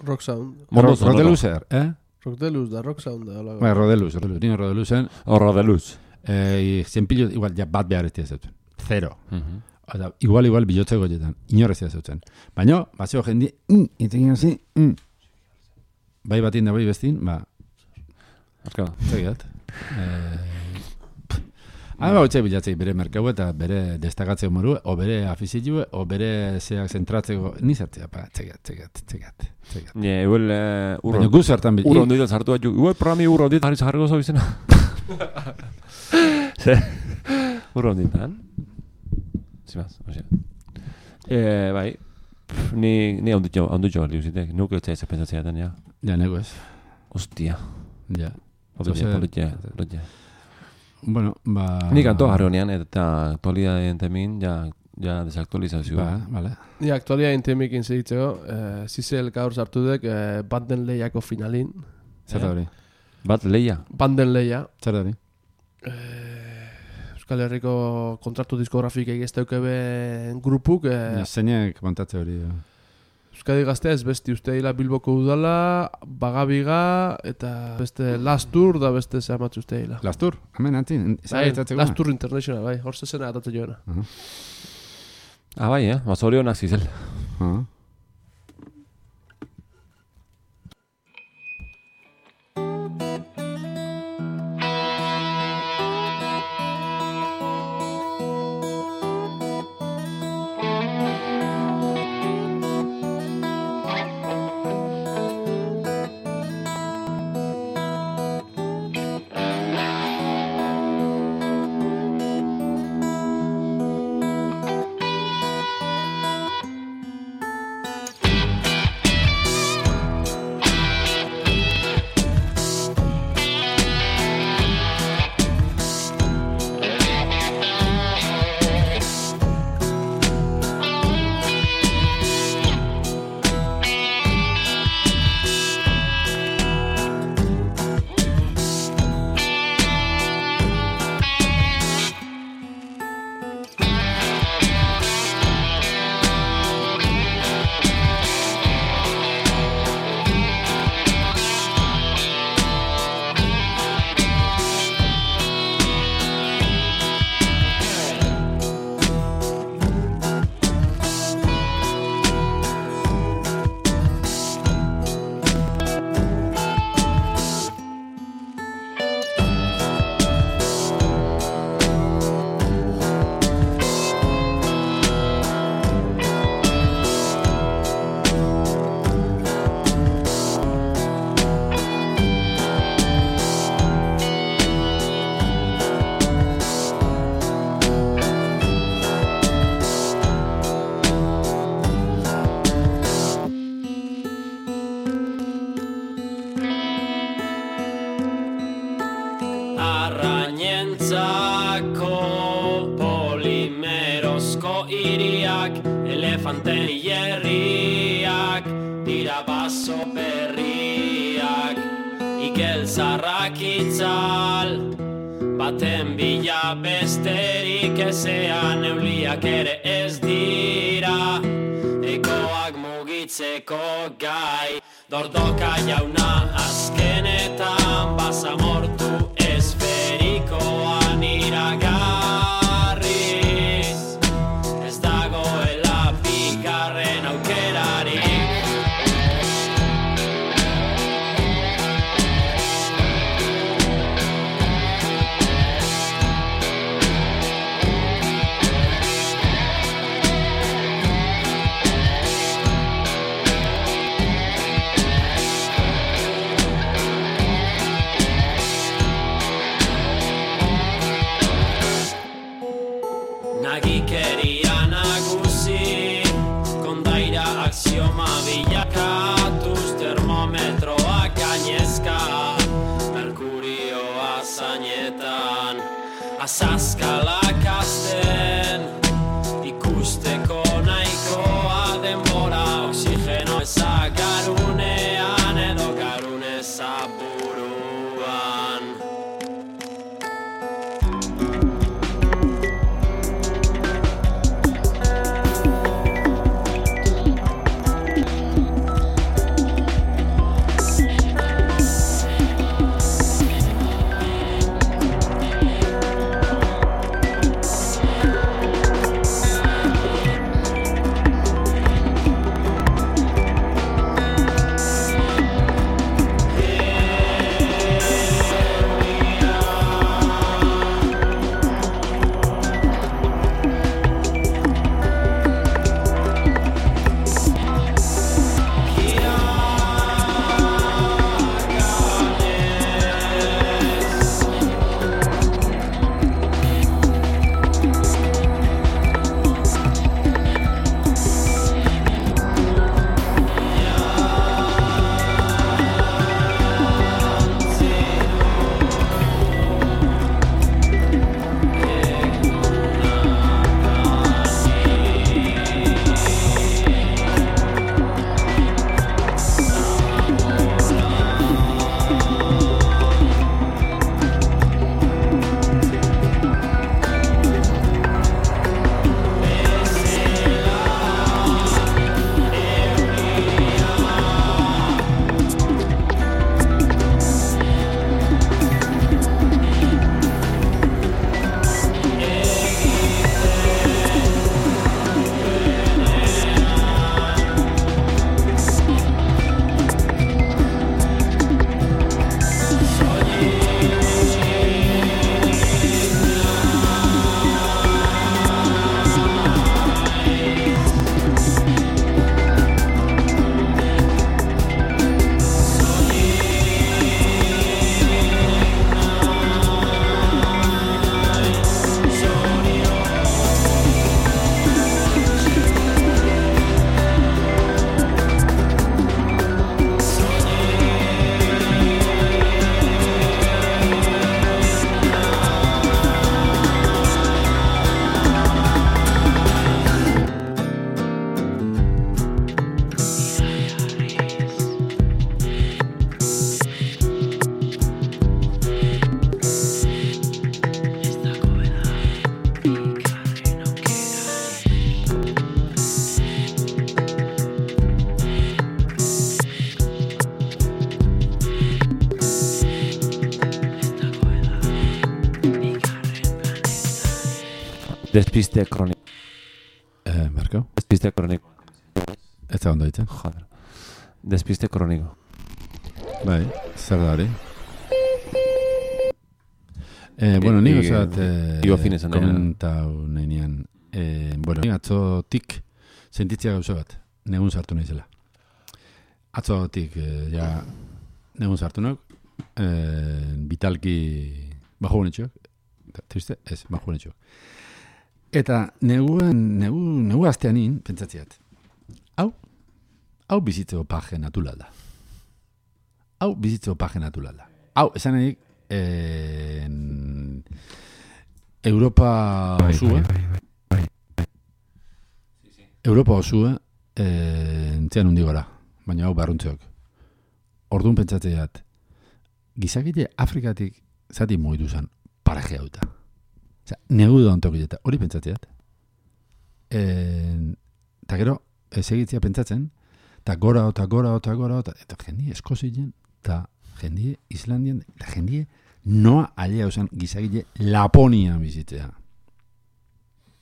Rock Sound. Mondo Ro- sonoro. Rodeluzer, eh? Rock Deluz da, Rock Sound da. hola. Bai, Rodeluz, Rodeluz, nien Rodeluzen, Horra de luz. eh, zenpilo, igual, ja, bat behar ez tia dezauten. Zero. Mhm. Eta, igual, igual, bilotze goietan. Inorrez zautzen. Baina, batzeo jendi, mm, iten zi, mm. Bai batin da bai bestin, ba, Azka. zegiat. Eh, Hau ba, hotxe bilatzei bere merkau eta bere destakatzeko moru, o bere afizitue, o bere zeak zentratzeko, ni zertzea, pa, txegat, txegat, txegat, txegat. Nie, igual eh, urro. Baina gu zertan bil... Urro ondita sartu bat, igual programi urro ondita jarri zaharriko zau izena. Ze, urro onditan. Zimaz, osea. Eh, bai, pff, ni, ni onditxo, onditxo galdi uzitek, nuke etzea ez pentsatzeatan, ja. Ja, nego ez. Ostia. Ja. Politxe, Osea, politxe, politxe. Bueno, ba... Ni kanto jarri honean, eta aktualidadeen temin, ja, ja desaktualizazioa. Ba, vale. Ni aktualia intemikin segitzeko, eh, Zizel gaur sartu dek eh, Banden Lehiako finalin. Zer da hori? Bat leia. Banden Lehia. Zer da hori? Euskal Herriko kontratu diskografikei ez daukebe grupuk. Eh, Ja, zeinek montatze hori. eh. Euskadi Gaztea ez besti uste hila Bilboko udala, Bagabiga, eta beste Lastur da beste zehamatzu uste hila. Lastur, hemen antzin. Bai, Lastur International, bai, hor zezena atatzen joana. Ah, bai, eh? Bazorionak zizel. Ah. Arrainentzako polimerozko hiriak, elefanten hierriak, dira baso berriak, ikel zarrak itzal, baten bila besterik ezean euliak ere ez dira, ekoak mugitzeko gai, dordoka jauna azkenetan basamortu esferikoan iragarriz, ez dagoela bigarren aukerarik. Nagikeria nagusi, kondaira axioma bilakatuz, termometroak gainezka, merkurioa zainetan, azazkalak azten, Despiste kroniko. Eh, Marko? Despiste kroniko. Ez da ondo ditzen. Joder. Despiste kroniko. Bai, zer da hori? Eh, bueno, ni gozat eh, Igo finezan nahi. komentau nahi nian. Eh, bueno, ni atzotik sentitzea gauza bat. Negun sartu naizela. Atzotik eh, ja negun sartu nauk. Eh, vitalki bajo bonetxok. Triste? Ez, bajo bonetxok. Eta neguan, negu, negu asteanin, pentsatziat. Hau, hau bizitzeko paje natural da. Hau bizitzeko paje natural da. Hau, esan nahi, eh, Europa osua, Europa osua, eh, entzean hundi gora, baina hau barruntzeok. Orduan pentsatzeat, gizakite Afrikatik zati moitu zen paraje hauta. Osea, negu da ontokileta, hori pentsatzeat. Eta gero, ez egitzea pentsatzen, eta gora, eta gora, eta gora, eta jendie Eskozien, eta jendie Islandien, eta jendie noa alea usan gizakile Laponian bizitzea.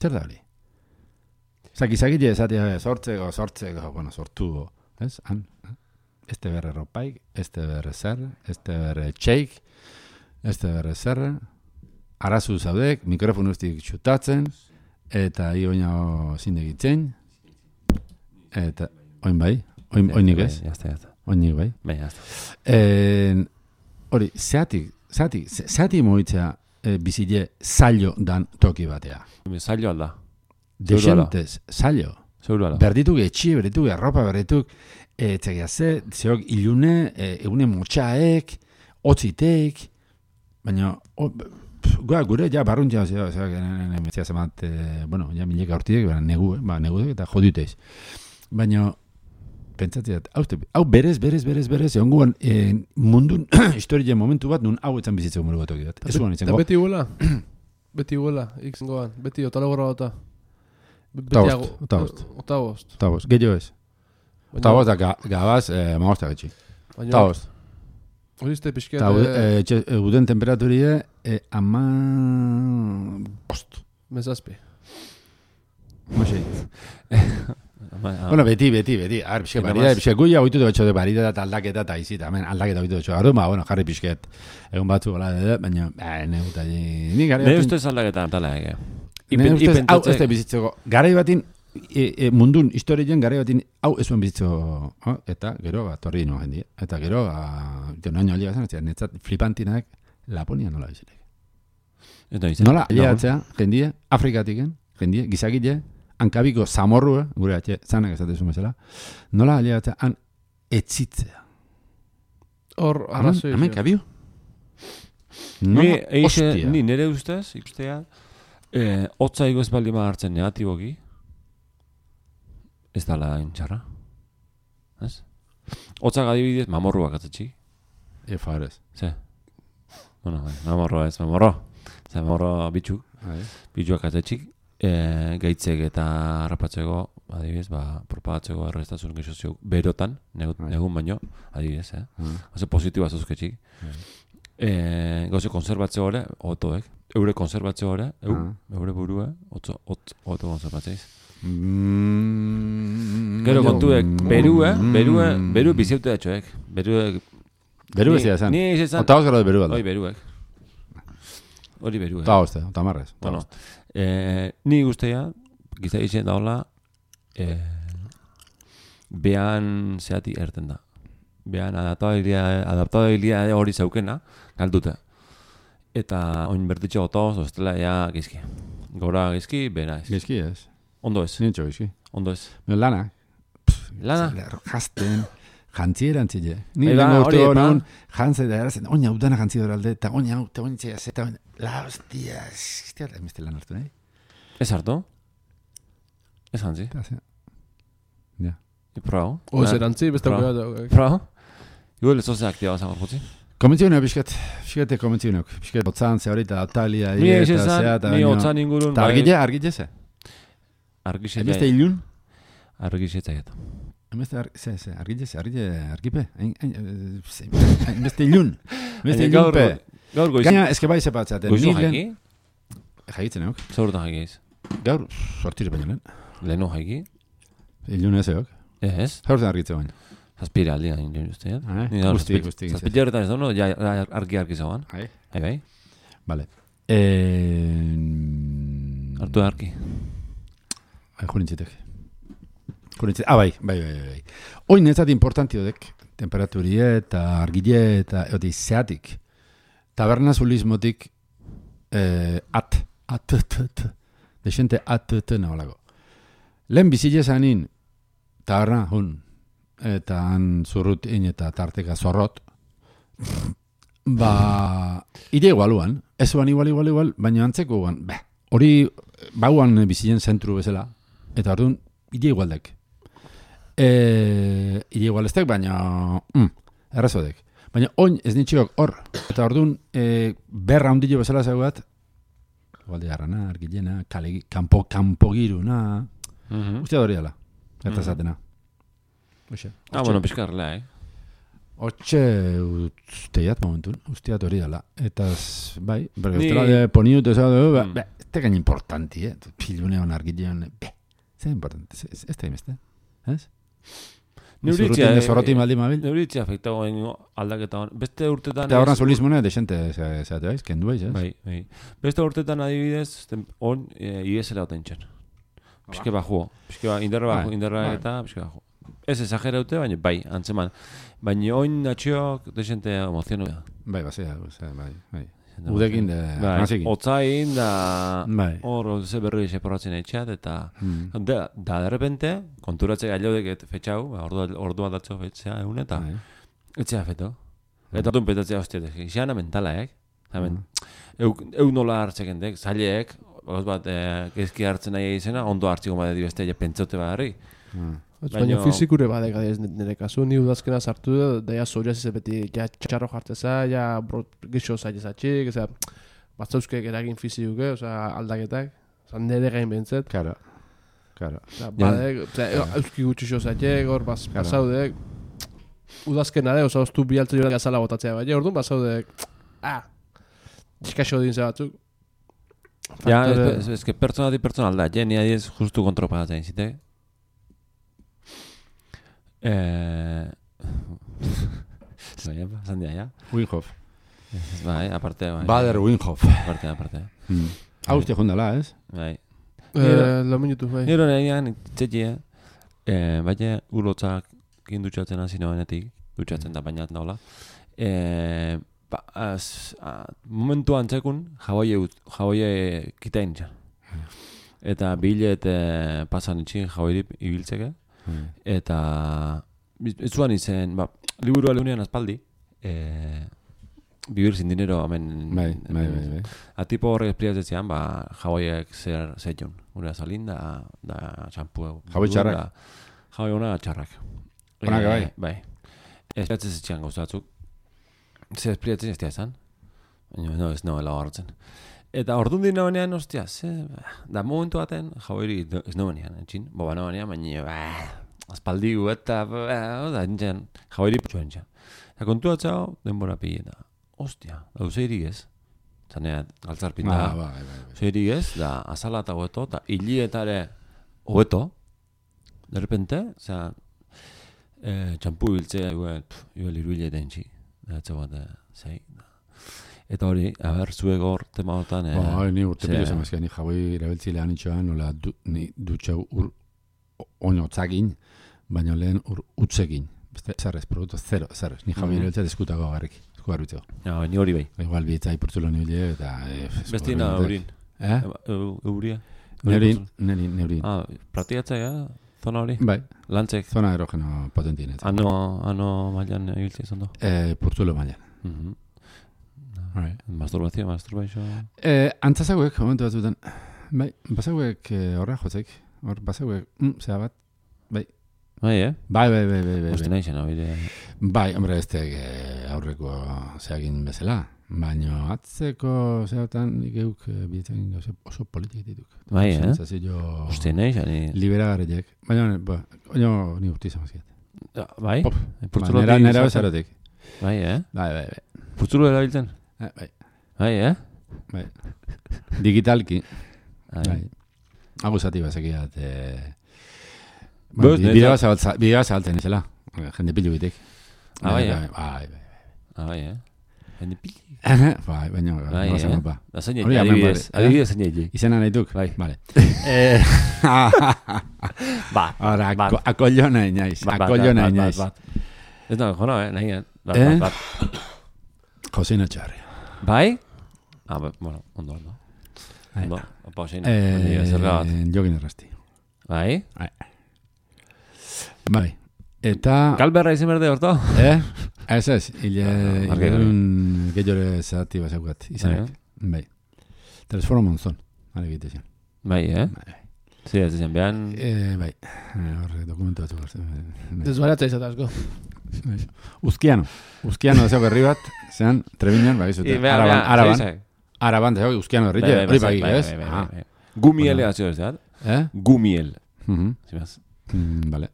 Zer da hori? Osa, gizakile esatea sortzeko, sortzeko, bueno, sortu, ez? Han, este berre ropaik, este berre zer, este berre txeik, este berre zer, arazu zaudek, mikrofon ustik txutatzen, eta hi oina zindegitzen, eta oin bai, oin, oinik ez? Jazta, jazta. Oinik bai. Bai, jazta. Eh, hori, zeatik, zeatik, zeatik moitzea eh, bizile zailo dan toki batea. Zailo alda. Desentez, zailo. Zeuru ala. Berdituk etxi, berdituk erropa, berdituk etxegia ze, zeok ilune, e, egune motxaek, otzitek, baina, o, Gua, gure, ja, barruntza, zera, zera, zera, zemat, eh, bueno, ja, mileka hortiek, negu, eh, ba, negu eta joditeiz. Baina, pentsatzeat, hau, hau berez, berez, berez, berez, egon guan, eh, mundun, historien momentu bat, nun hau etzan bizitzeko moru bat okidat. Ez guan itzen, Eta beti huela, beti huela, ikzengoan, beti otala gorra gota. Ota bost, ota bost. Ota bost. Ota bost, gehiago ez. Ota bost, da, gabaz, eh, magostak etxi. Ota bost. Horiste pixket... Eta e, uden temperaturie e, ama... bost. Mezazpi. Mosei. Bueno, beti, beti, beti. Ar, pixket barida, pixket guia oitu dut de barida eta aldaketa eta izita. Hemen aldaketa oitu dut. Ardu, ba, bueno, jarri pixket. Egun batzu gola, baina, ne guta, ni gara... Ne ustez aldaketa tala, ege. Ne ustez, hau ez da bizitzeko. Garai batin, E, e, mundun historien gara batin hau ez zuen bizitzo oh, eta gero bat torri nuen jendia eta gero bat naino alia zan netzat flipantinak Laponia nola bizitek nola aliatzea jendie Afrikatiken jendie gizakile hankabiko zamorrua gure atxe zanak esatezu bezala nola aliatzea han etzitzea hor arrazoi hemen kabio ni, eixe, ni nire ustez ikustea eh, hotza igoz baldi ma hartzen negatiboki ez dala intxarra. Ez? Hotzak adibidez, mamorruak atzatxi. E, farez. Ze? Bueno, mamorroa ez, mamorro. Ze, mamorro bitxu. Bitxuak atzatxi. E, gaitzek eta harrapatzeko, adibidez, ba, propagatzeko arrestazun gizozio berotan, negut, negun baino, adibidez, eh? Oze, positiba zuzketxik. E, Gauze, konserbatzeo gore, otoek. Eure konserbatzeo gore, eu, eure burua, otzo, ot, oto konserbatzeiz. Mm, Gero kontuek, berua, berua, beru biziute datxoek. Beruek... Beru ez da Ni ez ezan... Ota gara de beru alda. Hori beruek. Hori beruek. Ota hoste, ota marrez. Bueno, eh, ni guztia, gizta izan da hola, eh, behan zehati erten da. Behan adaptabilia hori zaukena, galdute. Eta oin bertitxe gotoz, ostela ja gizki. Gora gizki, bera ez. Gizki ez. Ondo ez. Nintxo gizki. Ondo ez. Lana. Lana? Jazten. Jantzieran zile. Ni Eba, lengo urte hori, honen jantze da erazen. Oina udana jantzi dora alde. Eta oina hau, eta oina txea zeta. La hostia. Hostia, da emeste lan hartu, nahi? Ez hartu? Ez jantzi? Ja. Prao? O ez erantzi, beste Prao? gura. Prao? Igual ez oze aktiba zan gorputzi? Komentzionok, biskat. Biskate komentzionok. Biskat botzan ze horita, atalia, Ni ez eta ezan, zeata. ni otzan ingurun. Eta argile, argile ze? Argile Emeste ilun? Argile zaiet. Emeste, ze, ze, argile ze, argile, argipe? Emeste ilun. Emeste ilunpe. Gaur goiz. Gaina, eske bai sepatzaten. Goizu jaiki? Jaitzen euk. Zaurtan jaikiz. Gaur, sortire baino lehen. Lehenu jaiki. Ilune zeok. Ez. Zaurten argitze baino. Zazpira aldi da nire uste. Eh? Ni gaur Guzti, guzti. Zazpila horretan ez dago, ja argi-argi zauan. Hai. Hai, bai. Vale. Eh... Hartu da argi. Ai, jurintzitek. Jurintzitek. Ah, bai, bai, bai, bai. Oin nezat importantio dek, temperaturie eta argile eta eoti zeatik. Tabernazulismotik eh, at, at, at, at, desente at, at, naholago. Lehen bizile zanin, taberna, hun, eta han zurrutin eta tarteka zorrot, ba, ide igualuan, ez uan igual, igual, igual, baina antzeko guan, beh, hori bauan bizilen zentru bezala, eta orduan, ide igualdek. E, ide igualestek, baina, mm, errazodek. Baina oin ez nintxikok hor, eta orduan, e, berra hundillo bezala zaugat, igualde garrana, argilena, kale, kampo, kampo giruna, Mhm. ustea hori dela, eta zatena. Oxe. Ah, bueno, pizkarrela, eh? Hortxe usteiat momentun, usteat hori dela. Eta, z- bai, berge Ni- ustela de poniut ez da, ba, Mm. ba, ez tegain importanti, eh? Pilunean, argilean, be, zer importanti, ez ez da imeste, ez? Neuritzia, Zurrutin zorroti maldi mabil. Neuritzia afektago aldaketa hon. Beste urtetan... Eta horran solismone, desente, zeate baiz, kendu baiz, ez? Bai, bai. Beste urtetan adibidez, tem- on e, iesela oten txen. Pizke bajuo. Pizke ba, indarra bajo, Bai, indarra bai. eta pizke bajuo. Ez exageraute, baina bai, antzeman. Baina oin natxiok desente emozionu da. Bai, basea, basea, bai, bai. Udekin de, Bai, nazikin. otzain da... Bai. Hor, ze berri seporatzen etxeat, eta... Mm. Da, da derrepente, konturatzea gailodek et fetxau, ordua, ordua datzo fetxea egun, eta... Bai. Etxea feto. Eta orduan petatzea hostia, izan mentalaek. Hemen, eu, eu nola hartzekendek, zaileek, gauz bat, eh, gezki hartzen nahi izena, ondo hartziko bat edo beste, ja pentsote badarri. Ah. Baina Baino- fizikure badek adez nire kasu, ni udazkena sartu da, da ja zoria zize beti, ja txarro jarteza, ja brot gixo zailezatxik, eza, batzauzkek eragin fizikuke, oza, aldaketak, oza, nire gain behintzet, Karo, karo. oza, badek, oza, euski gutxixo zailek, hor, bas, Claro. basaudek, udazkena de, oza, oztu bialtzen joan gazala botatzea, baina, orduan basaudek, ah, txikaxo din batzuk. Ja, Faktore- ez, ez, ez que pertsona di pertsona alda, ja, ni adiez justu kontropagatzen zite. Eh... Zaila, zandia, ja? Winhoff. Ez, bai, aparte, bai. Bader Winhoff. Aparte, aparte. Mm. Hau ustia jundala, ez? Bai. Eh, lo minutu, bai. Nero nahian, txetxie, eh, baina ulotzak indutxatzen hasi nabenetik, dutxatzen da baina daula. Eh, ba, az, a, momentu antzekun, jaboie, ut- jaboie kitain txan. Eta bilet eh, pasan itxin jaboirip ibiltzeke. Mm. Eta ez zuan izen, ba, liburua leunean aspaldi, eh, vivir sin dinero, amen... Bai, bai, bai, bai. Atipo horrek espliatzean, ba, jaboiek zer zeion. Gure azalin da, da txampua. Jaboi txarrak. Jaboi ona txarrak. Onak Eh, bai. Bai. Espliatzen zitxean gauzatzuk. Zer espliatzen ez diazan. Baina, no, ez noela hartzen. Eta orduan dina banean, ostia, ze... Da momentu baten, jaboiri ez no banean, etxin. Boba no banean, baina, ba, aspaldi gu eta, ba, da, entxan, jaboiri putxu entxan. Eta kontu atzao, denbora pili eta, ostia, da uzeirik ez. Zanea, galtzarpin da. Ah, bai, bai, bai. Zeirik ez, da azala eta hobeto, eta hilietare hobeto, de repente, osea, eh, txampu biltzea, igual, igual iruile dentsi, da etxe bat, eh, zei. Eta hori, haber, zuek hor tema hortan, eh, Ba, ni urte ze- pilo zemazkia, ni jaboi erabiltzilean itxoan, nola du, ni dutxau ur oinotzakin, baina lehen ur utzekin. Beste, zerrez, produktu zero, zerrez. Ni jaboi Mhm. erabiltzea diskutako garrik, esku garbitzeko. ja, ni hori bai. Igual bietza ipurtzulo nibile, eta... Eh, Bestina eurin. Eh? Eu- Euria. Neurin, neurin, neurin. Ah, pratiatzea, zona hori? Bai, Lantzek, zona erogeno potentienet. ano, ano mailan ibiltzen izan do. Eh, purtzulo mailan. Mhm. Right. Masturbazio, masturbazio. Eh, antzazaguek, momentu batzutan, bai, bazaguek eh, horra jotzek, hor bazaguek, mm, zera bat, Bai, eh? bai, bai, bai, bai, bai, Oste bai, nahi zen, hori. bai, hombre, ez tek eh, aurreko zeagin bezala, baina atzeko zeratan nik euk eh, bietzen gauze oso politik dituk. Bai, eh? Sensazio Oste nahi zen. liberagarriek, baina, ba, oino ni urti zamazkiet. Bai? Pop, Purtzulo nera, nera izaten. bezarotik. Bai, eh? Bai, bai, bai, Purtzulo erabiltzen? eh, bai, Bai, eh? bai. Digitalki, Bai. bai. Agusati bazekiat. Eh, Bost, bueno, neta- bidea zabaltza- bidea zabaltzen izela. Jende pilu bitik. Ah, bai, eh? Bai, bai, bai. Ah, bai, eh? Jende pili. Bai, baina, Bai, goza eh? mapa. Da zein Hori egin, hemen adibidez. bare, eh? Adibidez zein egin. Izena nahi duk? Bai. Vale. Eh, Bat. Ahora, Bat. ako- akollo nahi naiz. Bat, bat, Akollo nahi bat, naiz. bat, bat. Ez da, jona, eh? Nahi, eh? Bat, Eh? bat, bat. Josein Etxarri. Bai? Ah, ba- bueno, ondo, ondo. Ondo, opa, zein. Eh, Zerga bat. Jogin errasti. Bai? Bai. Eta... Kalberra izan berde horto? Eh? Ez ez, hile... Ah, argi, Hilun gehiore zati bazaukat. Izanak. Bai. Telesforo monzon. Hale egite zen. Bai, eh? Bai. Zi, ez izan behan... Eh, bai. Eh, Horre, dokumentu batzuk hartzen. Bai. Desbaratza izatazko. Uzkiano. Uzkiano da zeok herri bat, zean, Trebiñan, bai, zute. Araban, araban. Araban, da zeok, Uzkiano herri, hori bai, ez? Ah. Gumiel egazio ez da? Eh? Gumiel. Mhm. Zimaz? Mm, Vale.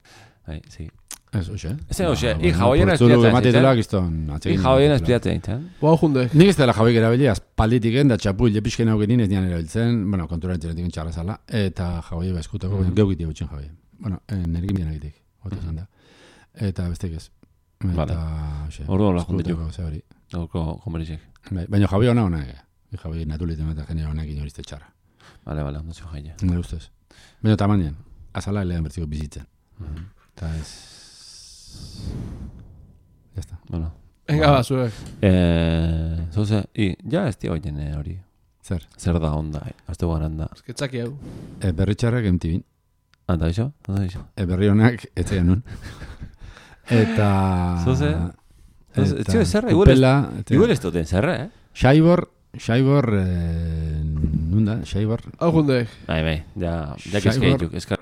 Bai, zi. Ez, hoxe. Ez, hoxe, i jaoiena espiatzen. espiatzen, Matitela, zitzen? gizton, I atsegin. jaoiena espiatzen, zitzen? Boa jundek. Nik ez dela jauik erabili, aspalditik da txapul, lepixken hau genin ez dian erabiltzen, bueno, konturan txeretik txarra zala, eta jaui eskutako, Mhm. geukiti gutxen jaui. Bueno, nerekin bian egitek, otu zen da. Eta bestek ez. Eta, Vale. hoxe, Orduan la junditu. eskutako, ze hori. Gaurko komerizek. Bai, baina jaui hona hona, eh? Jaui natuliten eta genera honekin horizte txarra. Vale, vale, ondo zio jaia. Nire ustez. Baina tamanien, azala elean bertziko bizitzen. Eta ez... Ya está. Bueno. Venga, ba, zuek. Eh, zoze, i, ja ez tia oien eh, hori. Zer? Zer da onda, eh? Azte guaran da. Esketzaki hau. E, berri txarrak emtibin. Anta iso? Anta iso? E, berri honak etzean nun. Eta... Zoze? Zoze, eta txio, zerra, igual ez- kupela, eta- Igual ez duten zerra, eh? Xaibor, Xaibor, eh, nunda, Xaibor, Hau jundek. Bai, bai, ja, ja Xaibor. kezkeituk, eskar.